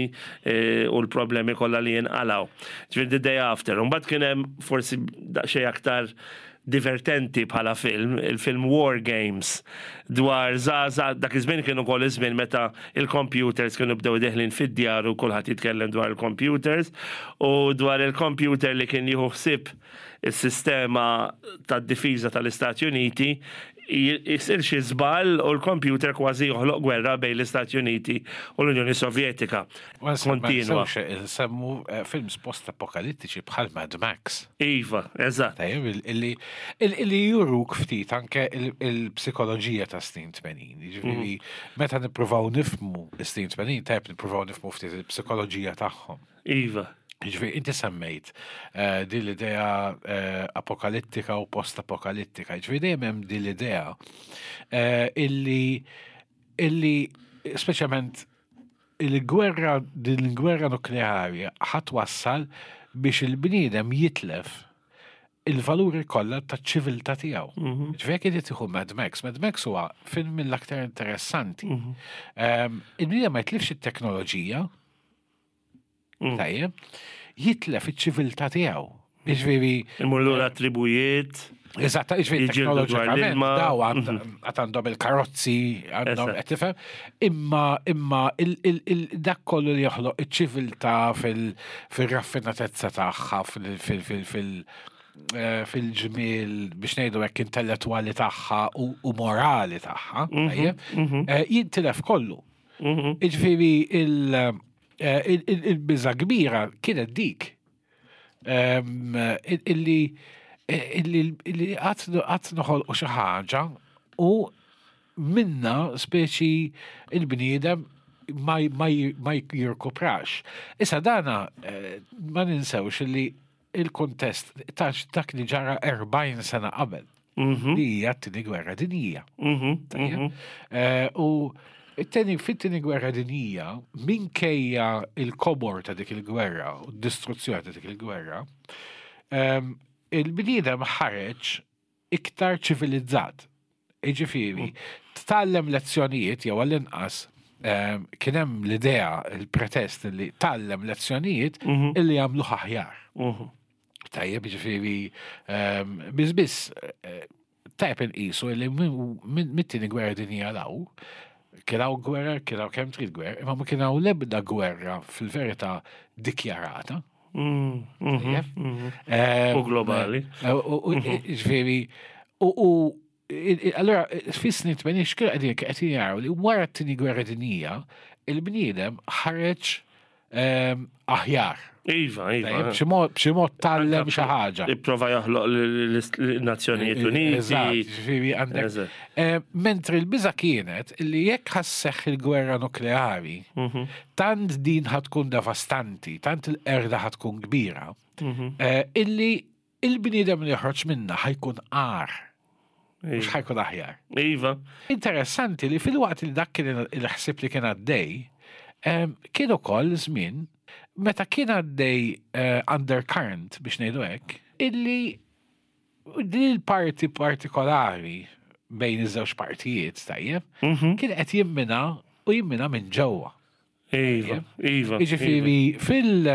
eh, u l-problemi kollha li jinqalaw. Ġifieri the day after. Mbagħad kien hemm forsi daqsxejn aktar divertenti bħala film, il-film War Games, dwar zaza, dak iż-żmien kienu ukoll iż-żmien meta il-computers kienu bdew deħlin fid-djar u kulħadd jitkellem dwar il-computers u dwar il-computer li kien jieħu ħsieb is-sistema tad-difiża tal-Istati Uniti jisir xi żball u l-computer kważi joħloq gwerra bejn l-Istati Uniti u l-Unjoni Sovjetika. Ma Kontinwa. nsewx nsemmu eh, films post-apokalittiċi bħal Mad Max. Iva, eżatt. Tajjeb, il- illi il- illi juruk ftit anke il- il-psikoloġija ta' snin tmenin. Jiġifieri, meta nippruvaw nifhmu snin tmenin, tajjeb nippruvaw nifhmu ftit il-psikoloġija tagħhom. Iva. Jiġifieri, inti semmejt eh, din l-idea eh, apokalittika u post-apokalittika. Jiġifieri, dejjem hemm din l-idea eh, illi illi speċjalment il-gwerra din il-gwerra nukleari ħa twassal biex il-bniedem jitlef il-valuri kollha taċ-ċiviltà tiegħu. Ġifieri jekk inti tieħu Mad Max, Mad Max huwa film mill-aktar interessanti. Ehm, Il-bniedem ma jitlifx it-teknoloġija, tajjeb, jitlef iċ-ċiviltà tiegħu. Jiġifieri, Imur lura tribujiet. Eżatt, jiġifieri Jiġġieldu dwar teknoloġikament l-ilma. daw għand għad għandhom il-karozzi, għandhom Eżatt. qed tifhem, imma imma il- il- il- dak kollu li joħloq iċ-ċiviltà fil- fil-raffinatezza tagħha, fil- fil- fil- fil- eh, fil-ġmiel biex ngħidu hekk intellettwali tagħha u u morali tagħha, tajjeb, eh, jintilef kollu. Jiġifieri il- eh, il- il- il-biża kbira kienet dik. Em, il- illi illi illi qatt qatt noħolqu xi ħaġa u minna speċi il-bniedem ma ma ma jirkuprax. Issa dana eh, ma ninsewx li il-kontest ta' dak li ġara erbgħin sena qabel li hija t-tieni gwerra dinjija. Tajjeb? Eh, U it-tieni fit-tieni gwerra dinjija, minkejja il-kobor ta' dik il-gwerra u d-distruzzjoni ta' dik il-gwerra, em, il-bniedem ħareġ iktar ċivilizzat. Jiġifieri, tgħallem lezzjonijiet jew għall-inqas em, kien hemm l-idea, il-pretest li tgħallem lezzjonijiet illi jagħmluh aħjar. Tajjeb, ġifieri, um, biz biss, eh, tajjeb inqisu li minn mit-tieni gwerra dinjija 'l hawn, kien hawn gwerra, kien hawn kemm trid gwerra, imma ma kien hawn l-ebda gwerra fil-verità dikjarata. Tajjeb? Em, U globali. eh, U u- ġifieri, u u il- il- allora, fis-snin tmenin x'kienu qegħdin qegħdin jaraw li wara t-tieni gwerra dinjija, il-bniedem ħareġ em, aħjar. Iva, iva. Tajjeb, b'xi mod- b'xi mod tgħallem xi ħaġa. Ipprova joħloq l-Nazzjonijiet Uniti. Eżatt, ġifieri għandek. Eżatt. Eh, Mentri l-biża kienet li jekk ħa sseħħ il-gwerra nukleari, tant din ħa tkun devastanti, tant il-qerda ħa tkun kbira, eh, illi il-bniedem li joħroġ minna ħa jkun agħar, mhux ħa jkun aħjar. Iva. Interessanti li fil-waqt li dak kien il-ħsib li kien għaddej, em, kien ukoll żmien Meta kien għaddej eh, undercurrent biex ngħidu hekk, illi din il-parti partikolari bejn iż-żewġ partijiet, tajjeb, Mhm. kien qed jimmina u jimmina minn ġewwa. Iva, iva. Jiġifieri fil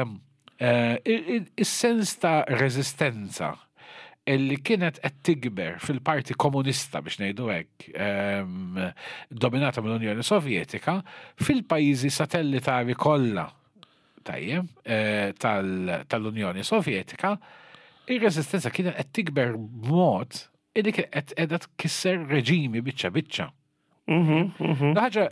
eh, il- il- il-sens ta' reżistenza illi kienet qed tikber fil-parti komunista biex ngħidu hekk, ehm, dominata mill-Unjoni Sovjetika, fil-pajjiżi satellitari kollha tajjeb eh, tal- tal-Unjoni Sovjetika, ir-reżistenza kienet qed tikber b'mod illi kienet qed qiegħda tkisser reġimi biċċa biċċa. Mhm, mhm. Ħaġa,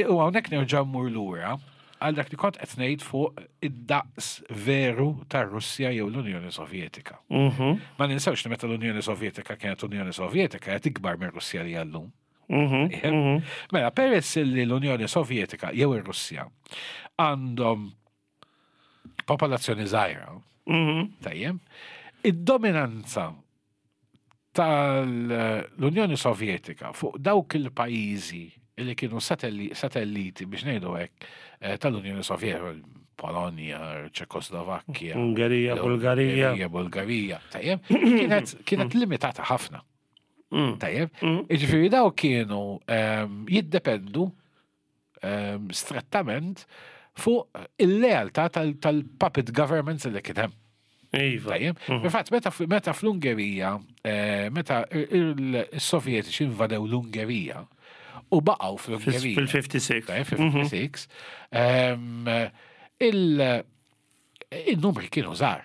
u hawnhekk nerġa' mmur lura għal dak li kont qed ngħid fuq id-daqs veru tar-Russja jew l-Unjoni Sovjetika. Mhm, Ma ninsewx li meta l-Unjoni Sovjetika kienet Unjoni Sovjetika qed ikbar minn Russja li llum. mhm, mhm. Mela, peress li l-Unjoni Sovjetika jew ir-Russja għandhom popolazzjoni żgħira, Mhm. tajjeb, id-dominanza tal-Unjoni Sovjetika fuq dawk il-pajjiżi li kienu satelli, satelliti biex ngħidu hekk eh, tal-Unjoni Sovjetika, Polonja, Ċekoslovakkja, Ungerija, Bulgarija. Ungerija, Bulgarija, tajjeb, kienet, kienet limitata ħafna. Mm. Tajjeb, Mm. jiġifieri daw kienu ehm, jiddependu ehm, strettament fuq il-lealtà tal- tal-puppet governments li kien hemm. Iva. Tajjeb. Fil-fatt, meta, meta fl-Ungerija, eh, meta il-Sovjetiċi invadew l-Ungerija u baqgħu fl-Ungerija. Fil-ħamsa u ħamsin. Tajjeb, fil-ħamsa u ħamsin, ehm, il- il-numri kienu żgħar.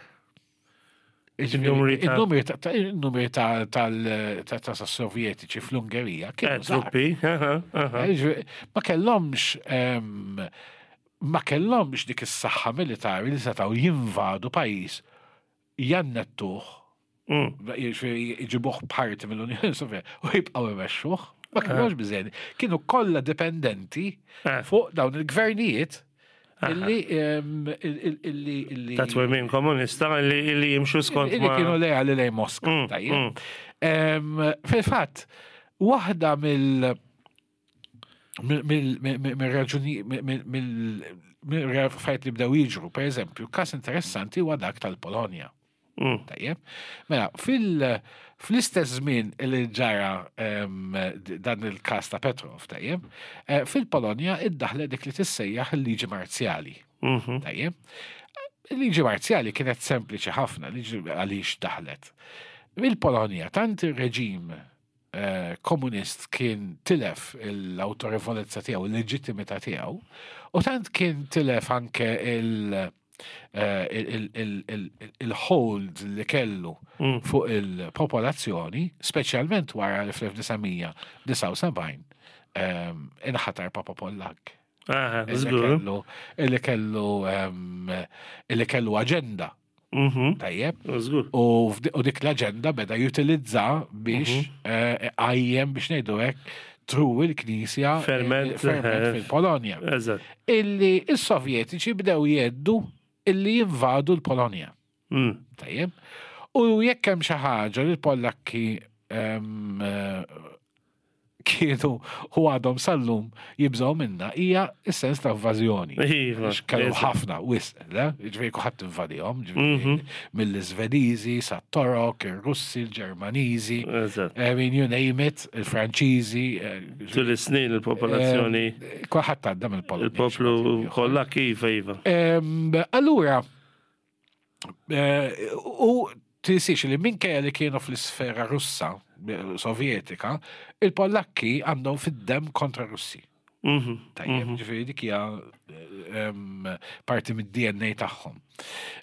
Il-numri ta' Il-numri ta' ta' il-numri ta' tal- ta' ta' sovjetiċi fl-Ungerija Eh, kienu żgħar. truppi. aha, aha. Eh, ġifieri, Ma kellhomx ehm, ma kellhomx dik is-saħħa militari li setgħu jinvadu pajjiż jannettuh, Mm. jiġifieri jġibuh parti mill-Unjoni Sovjetika u jibqgħu imexxuh. Ma kellhomx biżejjed. Kienu kollha dipendenti Eh. fuq dawn il-gvernijiet illi ehm, il- il- illi illi Ta' twemmin komunista li li jimxu skont illi ma. kienu leali lejn Moska. Mm, tajjeb. mm. Em, Fil-fatt, waħda mill mill-raġuni mill-fajt li bdew jiġru, per eżempju, kas interessanti huwa dak tal-Polonja. Mm. Tajjeb. Mela, fil- fl-istess żmien li ġara em, d- dan il-kas ta' Petrov, tajjeb, eh, fil-Polonja iddaħlet dik li tissejjaħ il-liġi marzjali. Mhm. Tajjeb. Il-liġi marzjali kienet sempliċi ħafna, liġi għaliex daħlet. Il-Polonja, tant il-reġim eh, komunist kien tilef l-autorevolezza tiegħu, il-leġittimità tiegħu, u tant kien tilef anke il- eh, il- il- il- il-hold li kellu Mm. fuq il-popolazzjoni, speċjalment wara li fl-elf disa' mija disgħa u sebgħin ehm, inħatar Papa Pollak. Aha, Illi żgur. kellu illi kellu ehm, illi kellu aġenda Mhm. tajjeb Żgur. u f'di- u dik l-aġenda beda jutilizza biex Mhm. eh, għajjem biex ngħidu hekk tru il-Knisja eh, Ferment, ferment eh. fil-Polonja. Eżatt. Illi is-Sovjetiċi bdew jeddu illi jinvadu l-Polonja. Mm. Tajjeb. U jekk hemm xi ħaġa li l-Pollakki ehm, eh, kienu u għadhom sal-lum jibżgħu minna hija s-sens ta' invażjoni. Iva, Għax Kellu eżatt. ħafna wisq, le? Ġifieri kulħadd invadihom, ġifieri Mhm. mill-Iżvediżi sa Torok, ir-Russi, il-Ġermaniżi, Eżatt. I mean, you name it, il-Franċiżi, eh, Tul is-snin il-popolazzjoni, eh, kulħadd għadda mill-Polonja. il-poplu kollha kif iva. Em, Allura, eh, u tinsiex li minkejja li kienu fl-isfera russa, eh, sovjetika, il-Pollakki għandhom fid-dem kontra Russi. Mhm. Tajjeb, ġifieri dik hija em, parti mid-D N A tagħhom.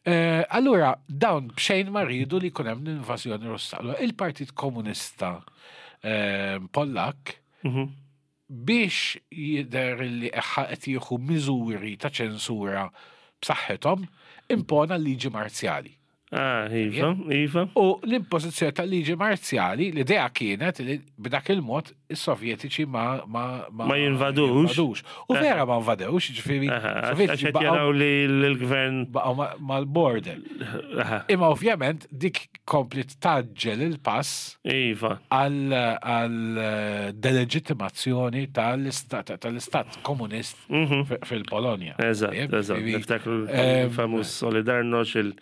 Eh, Allura, dawn b'xejn ma rridu li jkun hemm l-invażjoni Russa. Allura, il-Partit Komunista em, Pollak Mhm. biex jidher li eħħa qed jieħu miżuri ta' ċensura b'saħħithom, impona liġi marzjali. Ah, iva, iva. U l-impożizzjoni tal-liġi marzjali, l-idea kienet li b'dak il-mod is-Sovjetiċi ma ma Ma jinvadux. jinvadux. U vera ma invadewx, ġifieri Aha, Għax Sovjetiċi qed baqgħu jaraw li l-gvern. baqgħu ma- mal-border. Aha, Imma ovvjament dik komplet taġġel il-pass Iva. għal għal delegittimazzjoni tal-istat tal-istat komunist fi- fil-Polonja. Eżatt, Tajjeb, eżatt. ġifieri, Niftakru ehm, il-famuż Solidarność, il-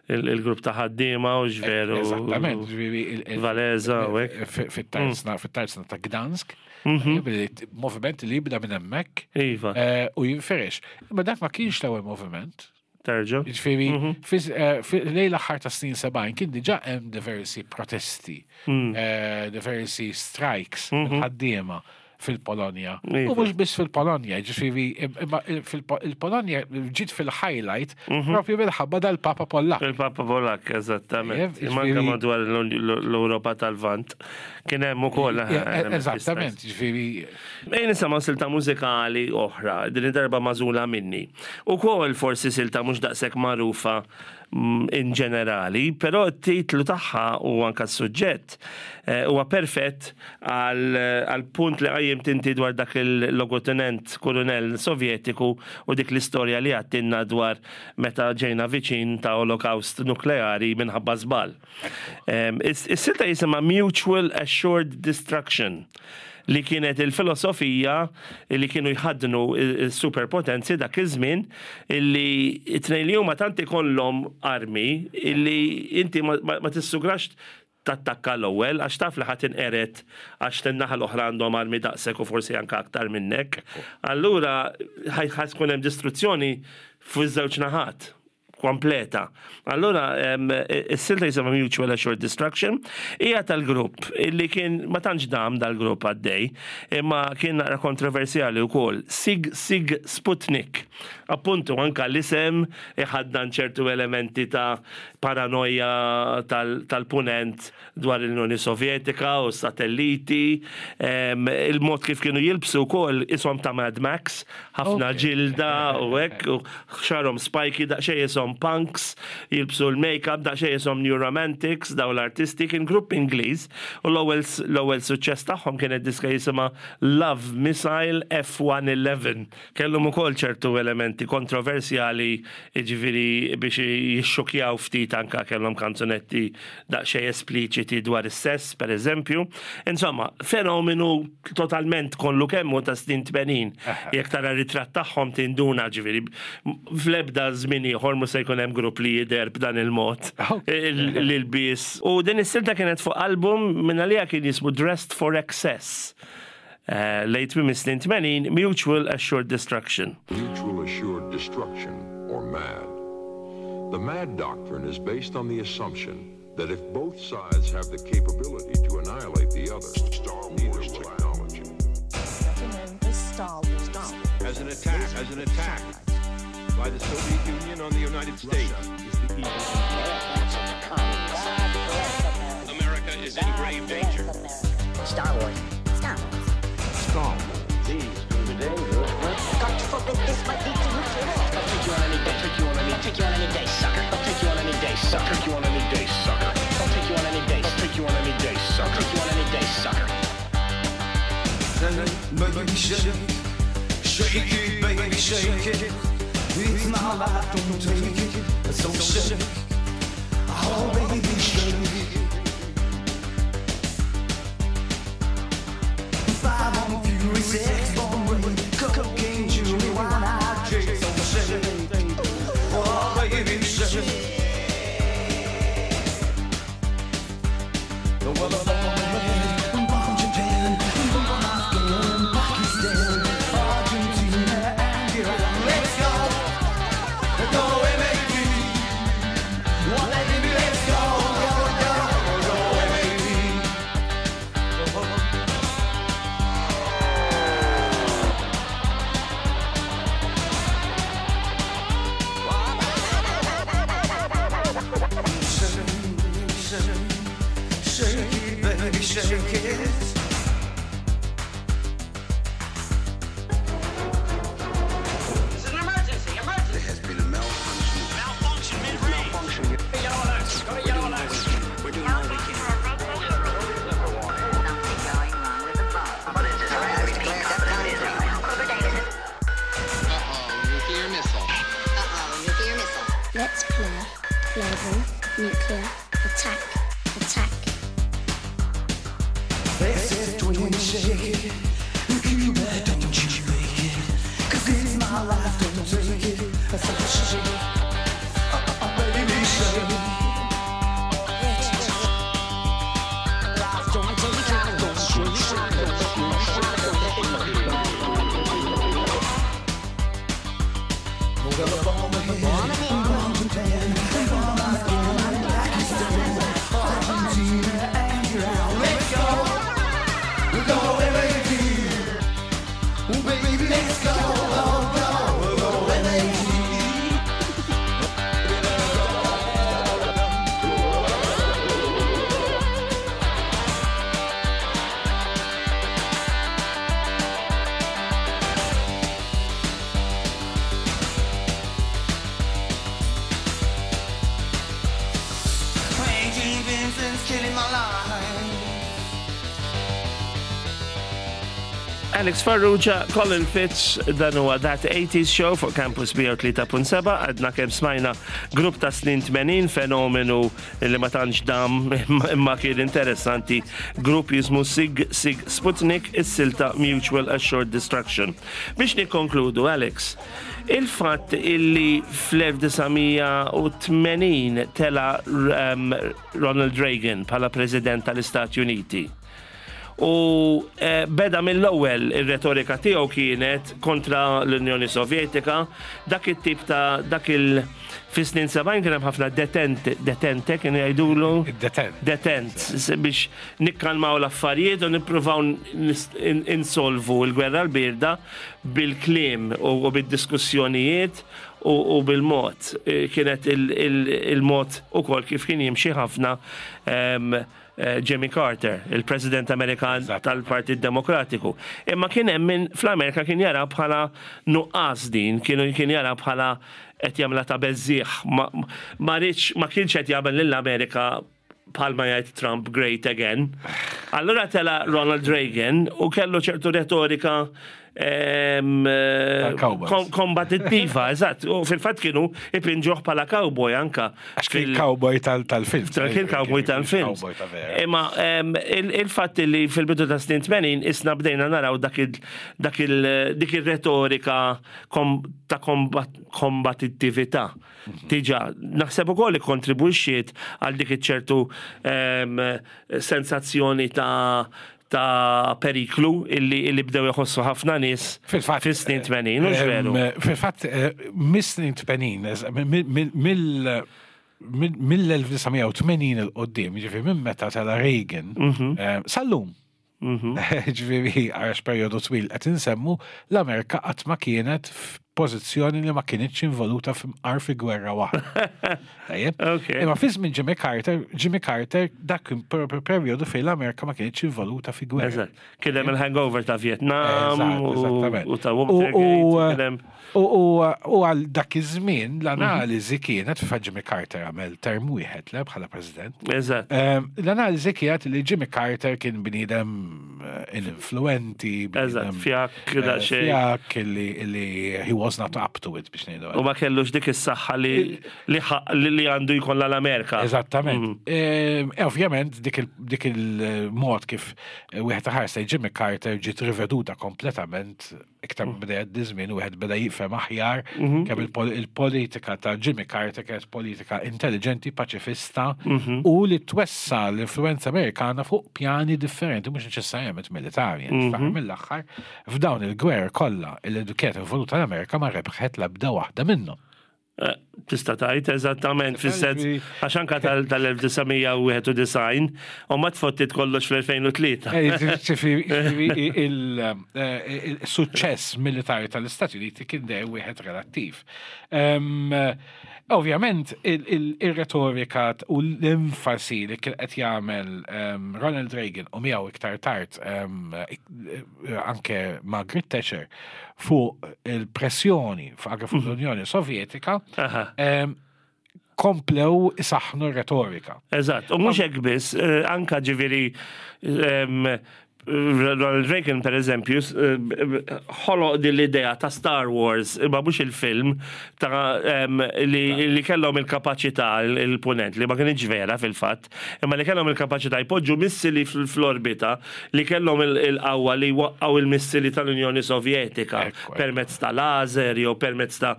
il- il-grupp ta' ħaddiema u ġveru. Eżattament, ġifieri il- il- Walesa u hekk. fi- fit-tarzna fit-tarzna ta' Gdansk, tajjeb, li t- moviment li jibda minn hemmhekk Iva, eh, u jinferex. Imma dak ma kienx l-ewwel moviment. terġa. Ġifieri, fiż- eh, fi- lejn l-aħħar ta' snin sebgħin kien diġà hemm diversi protesti, eh, diversi strikes ħaddiema fil-Polonja. U Iva. mhux biss fil-Polonja, ġifieri imma fil-Polonja ġiet fil-highlight propju minħabba dal-Papa Pollak. Il-Papa Polak, eżattament. Ġifieri- Manka madwar l-Europa tal-Vant. Kien hemm ukoll. aha, Eh, elementi Eżattament, ġifieri Ejn nisimgħu silta mużikali oħra, din id-darba magħżula minni. Ukoll forsi silta mhux daqshekk magħrufa mm, in ġenerali, però t-titlu tagħha u anka s-suġġett eh, huwa perfett għal għal punt li qajjimt inti dwar dak il-logotenent kolonel sovjetiku u dik l-istorja li għattinna dwar meta ġejna viċin ta' olokaust nukleari minħabba żball. Em, is- Is-silta jisimha Mutual Assured Destruction li kienet il-filosofija li kienu jħaddnu il-superpotenzi dak iż-żmien illi it-tnejn li huma tant ikollhom armi illi inti ma, ma, ma tissugrax tattakka l-ewwel għax taf li ħadd inqeret għax tin-naħa l-oħra għandhom armi daqshekk u forsi anke aktar minnek. Allura ħaj ħa tkun hemm distruzzjoni fuq iż-żewġ naħat kompleta. Allura, em, is-silta jisimha Mutual Assured Destruction, hija tal-grupp illi kien ma tantx dam dal-grupp għaddej, imma kien naqra kontroversjali wkoll. Sig Sig Sputnik. Appuntu anka l-isem iħaddan ċertu elementi ta' paranoja tal- tal-punent dwar l-Unjoni Sovjetika u satelliti, em, il-mod kif kienu jilbsu wkoll ishom ta' Mad Max, ħafna Ok. ġilda u hekk, u xarhom spiky daqsxejn ishom punks, jilbsu l-makeup, daqsxejn ishom New Romantics, daw l-artisti, kien grupp Ingliż, u l-ewwel l-ewwel suċċess tagħhom kienet diska jisimha Love Missile F one eleven. Kellhom ukoll ċertu elementi kontroversjali, jiġifieri biex jixxukjaw ftit anka kellhom kanzunetti daqsxejn espliċiti dwar is-sess, per eżempju. Insomma, fenomenu totalment kollu kemmu ta' snin tmenin. Jekk tara ritratt tagħhom tinduna ġifieri fl-ebda żmien ieħor mhux se jkun hemm grupp li jidher b'dan il-mod. Ok. Il- L-ilbies. U din is-silta kienet fuq album minn għalija kien jismu Dressed for Excess. Eh, Late minn snin tmenin, Mutual Assured Destruction. Mutual Assured Destruction, or MAD. The MAD doctrine is based on the assumption that if both sides have the capability to annihilate the other, Star Wars technology. Star Wars. As an attack, as an attack by the Soviet Union on the United States. America is in grave danger. Star Wars. Star Wars. Star Wars. These can be dangerous. God forbid this might lead to nuclear war. I'll take you on any day. Take you on any. I'll take you on any day, sucker. I'll take you on any day, sucker. Take you on any day, sucker. I'll take you on any day. I'll take you on any day, sucker. I'll take you on any day, sucker. Baby, shake, shake it, baby, shake it. It's my life, don't take it. So shake, oh baby, shake it. Five on Fury, six on Ray, cocaine, jewelry, wine, I drink. So shake, oh baby, shake. Well, I'm on bomb Japan, bomb Afghan, Pakistan, Argentina, and Iran. Let's go, go M A D. One baby, let's go, go, go, go M A D. Shake, shake, shake it, baby, shake it. This is an emergency, emergency. There has been a malfunction. Malfunction mid-range. Malfunction. Yellow alert. shake it. Cuba, don't you fake it. 'Cause it's my life, don't take it. I said shake it. Uh, uh, baby, shake it. Don't take it. Don't shake it. Well, bomb ahead, bomb Japan, bomb Afghan, Pakistan, Argentina, and Iran. Let's go, go M A D. Baby, let's go, go, go, go M A D. Raging Vincent's killing my life. Alex Farrugia, Colin Fitz, dan huwa That eighties Show fuq Campus mija u tlieta punt seba'. Għadna kemm smajna grupp ta' snin tmenin, fenomenu li ma tantx dam imma kien interessanti. Grupp jismu Sigue Sigue Sputnik, is-silta Mutual Assured Destruction. Biex nikkonkludu, Alex, il-fatt illi fl-elf disa' mija u tmenin tela um, Ronald Reagan bħala President tal-Istati Uniti. U eh, beda mill-ewwel ir-retorika tiegħu kienet kontra l-Unjoni Sovjetika, dak it-tip ta' dak il fis-snin sebgħin kien hemm ħafna detent, detente kienu jgħidulu. Detent. Detent, s- biex nikkalmaw l-affarijiet u nippruvaw nis- in- insolvu l-gwerra l-birda bil-kliem u u bid-diskussjonijiet u u bil-mod. Eh, Kienet il- il- il-mod ukoll kif kien jimxi ħafna em, eh, Jimmy Carter, il-President Amerikan Eżatt. tal-Partit Demokratiku. Imma kien hemm min fl-Amerika kien jara bħala nuqqas din, kienu kien jara bħala qed jagħmilha ta' beżżieħ. Ma ma riedx, ma kienx qed jagħmel lill-Amerika, bħalma jgħid Trump, great again. Allura tela Ronald Reagan u kellu ċertu retorika em, Tal-cowboys. kom- kombatittiva, eżatt. U fil-fatt kienu ipinġuh bħala cowboy anka. Għax kien fil- cowboy tal- tal-film. Kien cowboy tal-film. Cowboy ta' vera. Imma em, il- il-fatt li fil-bidu ta' snin tmenin isna bdejna naraw dak il- dak il- dik il-retorika kom, ta' kombat, kombatittività. Diġà, naħseb ukoll li kontribwixxiet għal dik iċ-ċertu em, sensazzjoni ta' ta' periklu illi, illi bdew jħossu ħafna nies Fil-fatt. fis-snin tmenin, mhux veru? Em, Fil-fatt, eh, mis-snin tmenin, eż- mill- mill- mill- mill-elf disa' mija u tmenin 'il quddiem, ġifieri minn meta tela Reagan, Mhm. eh, sal-lum. Ġifieri, għax periodu twil qed insemmu, l-Amerika qatt ma kienet f'pożizzjoni li ma kienitx involuta f'imqar fi gwerra waħda. Tajjeb? Ok. Imma fi żmien Jimmy Carter, Jimmy Carter dak kien per- per- periodu fejn l-Amerika ma kienitx involuta fi gwerra. Eżatt. Kien hemm il-hangover ta' Vietnam Eżatt, u- eżattament. u ta' U- Watergate. u- Kien hemm- U u- u għal dak iż-żmien l-analiżi kienet, fa' Jimmy Carter għamel term wieħed le bħala president. Eżatt. Ehm, L-analiżi kienet li Jimmy Carter kien bniedem eh, ininfluenti, Eżatt, bniedem, fjakk, eh, daqsxejn. fjakk li li he was not up to it, biex ngħidu. U ma kellux dik is-saħħa li li ħa- li li għandu jkollha l-Amerika. Eżattament. Ehm, e Ovvjament, dik il- dik il-mod kif eh, wieħed ħares lejn Jimmy Carter ġiet riveduta kompletament iktar mm. beda jgħaddi żmien u wieħed beda jifhem aħjar kemm il-pol- il-politika ta' Jimmy Carter kienet politika intelligenti, paċifista u li twessa l-influenza Amerikana fuq pjani differenti, mhux neċessarjament militari. Mm Mill-aħħar, f'dawn il-gwer kollha li kienet involuta l-Amerika ma rebħet l-ebda waħda minnhom. Eh, Tista' tgħid eżattament, fis-sens għax anka tal-elf disa' mija u wieħed u disgħin u ma tfottit kollox fl-elfejn u tlieta. Eh, ġifieri, il-suċċess militari tal-Istati Uniti kien dejjem wieħed relattiv. Em, Ovvjament, il-retorika u l-enfasi li kien qed jagħmel em, Ronald Reagan u miegħu iktar tard em, ik- anke Margaret Thatcher fuq il-pressjoni fuq anke fuq l-Unjoni Sovjetika Aha. em, komplew isaħħnu r-retorika. Eżatt, u mhux hekk biss, eh, anka ġifieri em, Ronald Reagan, per eżempju, s- eh, ħoloq din l-idea ta' Star Wars, imma mhux il-film, ta' em, li, li kellhom il-kapaċità il- il-punent, li ma kienx vera fil-fatt, imma li kellhom il-kapaċità jpoġġu missili fl- fl-orbita, li kellhom il- il-qawwa li waqqgħu il-missili tal-Unjoni Sovjetika Ekku, ekku. permezz ta' laser jew permezz ta'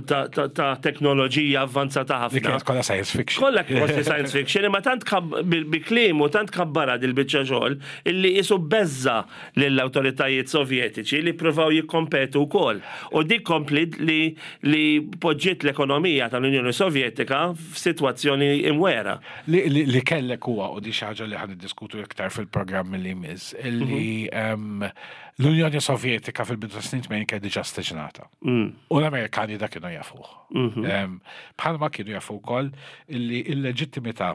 ta' ta' ta' teknoloġija avvanzata Li ħafna. kienet kollha science fiction. Kollha kważi science fiction, imma tant kab- bil- bi kliem u tant kabbara dil-biċċa xogħol illi isu beżza lill-awtoritajiet sovjetiċi li provaw jikkompetu wkoll. U dik komplit li li poġġiet l-ekonomija tal-Unjoni Sovjetika f'sitwazzjoni imwera. Li, li, li kellek huwa u di xi ħaġa li ħan niddiskutu iktar fil-programm li jmiss, illi em, l-Unjoni Sovjetika fil-bidu tas snin tmenin kienet diġà staġnata. U l-Amerikani da kienu jafuh. Em, Bħalma kienu jafu wkoll illi il-leġittimità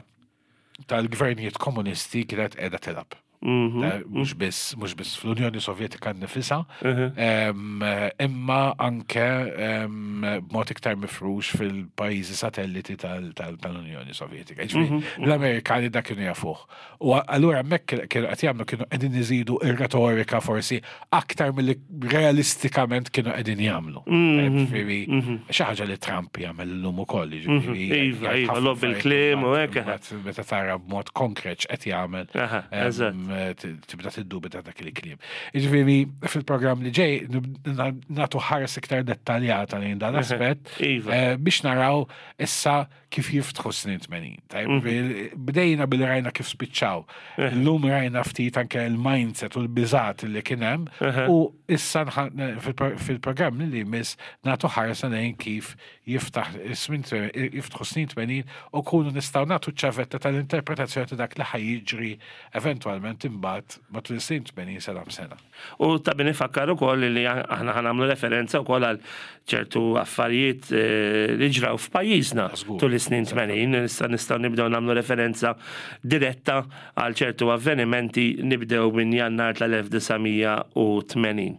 tal-gvernijiet komunisti kienet qiegħda tilgħab. Eh, Mhux biss mhux biss fl-Unjoni Sovjetika nnifisha, em, imma anke em, b'mod iktar mifrux fil-pajjiżi satelliti tal- tal- tal-Unjoni Sovjetika. Ġifieri, L-Amerikani da kienu jafuh. U allura hemmhekk kienu qed jagħmlu kienu qegħdin iżidu ir-retorika forsi aktar milli realistikament kienu qegħdin jagħmlu. Ġifieri, xi ħaġa li Trump jagħmel illum ukoll, ġifieri, Iva, jgħid iva, ħafna logħob bil-kliem u hekk. affarijiet, Meta tara b'mod konkret x'qed jagħmel. Aha, em, eżatt. t- tibda tiddubita dak il-kliem. Jiġifieri fil-programm li ġej nib- na- nagħtu ħares iktar dettaljata lejn dan l-aspett Iva. eh, biex naraw issa kif jiftħu snin tmenin. Tajb, Bdejna bil rajna kif spiċċaw. Illum rajna ftit anke il-mindset u l-biżat li kien hemm u issa nħa- fil-pro- fil-programm li jmiss nagħtu ħarsa lejn kif jiftaħ is-snin tmenin- jiftħu snin tmenin u kunu nistgħu nagħtu ċavetta tal-interpretazzjoni ta' dak li ħa jiġri eventwalment imbagħad matul is-snin tmenin sena b'sena. U ta' min ifakkar ukoll li aħna ħa nagħmlu referenza wkoll għal ċertu affarijiet eh, li ġraw f'pajjiżna Żgur. tul is-snin tmenin, issa nistgħu nibdew nagħmlu referenza diretta għal ċertu avvenimenti nibdew minn Jannar tal-elf disa' mija u tmenin.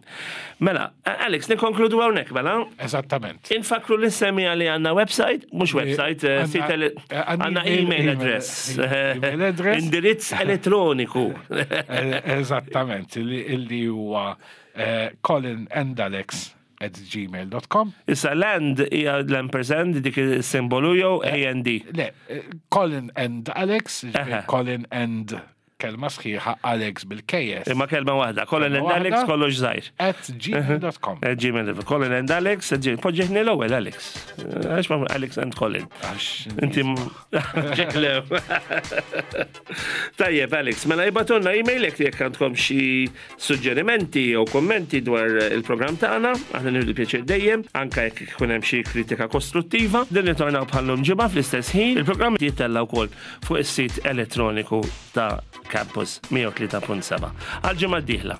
Mela, Alex, nikkonkludu hawnhekk mela. Eżattament. Infakru lis-semmiegħa li għandna website, mhux website, eh, Għanna- sit ele- eh, għanna għandna email- email address. email address. Indirizz elettroniku. Eh, Eżattament, illi illi huwa eh, colinandalex at gmail dot com. Issa l-and hija l-ampersand dik il-simbolu jew A N D. Le, eh, Colin and Alex, ġifieri Aha. Colin and kelma sħiħa, Alex bil-K S. Imma kelma waħda. Colin and Kelma Alex waħda. kollox żgħir. At gmail dot com. Eh, Gmail. Colin and Alex, eh, G- poġġeħni l-ewwel Alex. Eh, Għax ma Alex and Colin. Għax Inti ġeklew. Tajjeb, Alex, mela ibagħtulna email jekk jekk għandkom xi suġġerimenti jew kommenti dwar il-programm tagħna, aħna nieħdu pjaċir dejjem, anke jekk ikun hemm xi kritika kostruttiva. Din nitornaw bħallum ġimgħa fl-istess ħin. Il-programm jittella wkoll fuq is-sit elettroniku ta' Campus mija u tlieta punt seba'. Għal ġimgħa d-dieħla.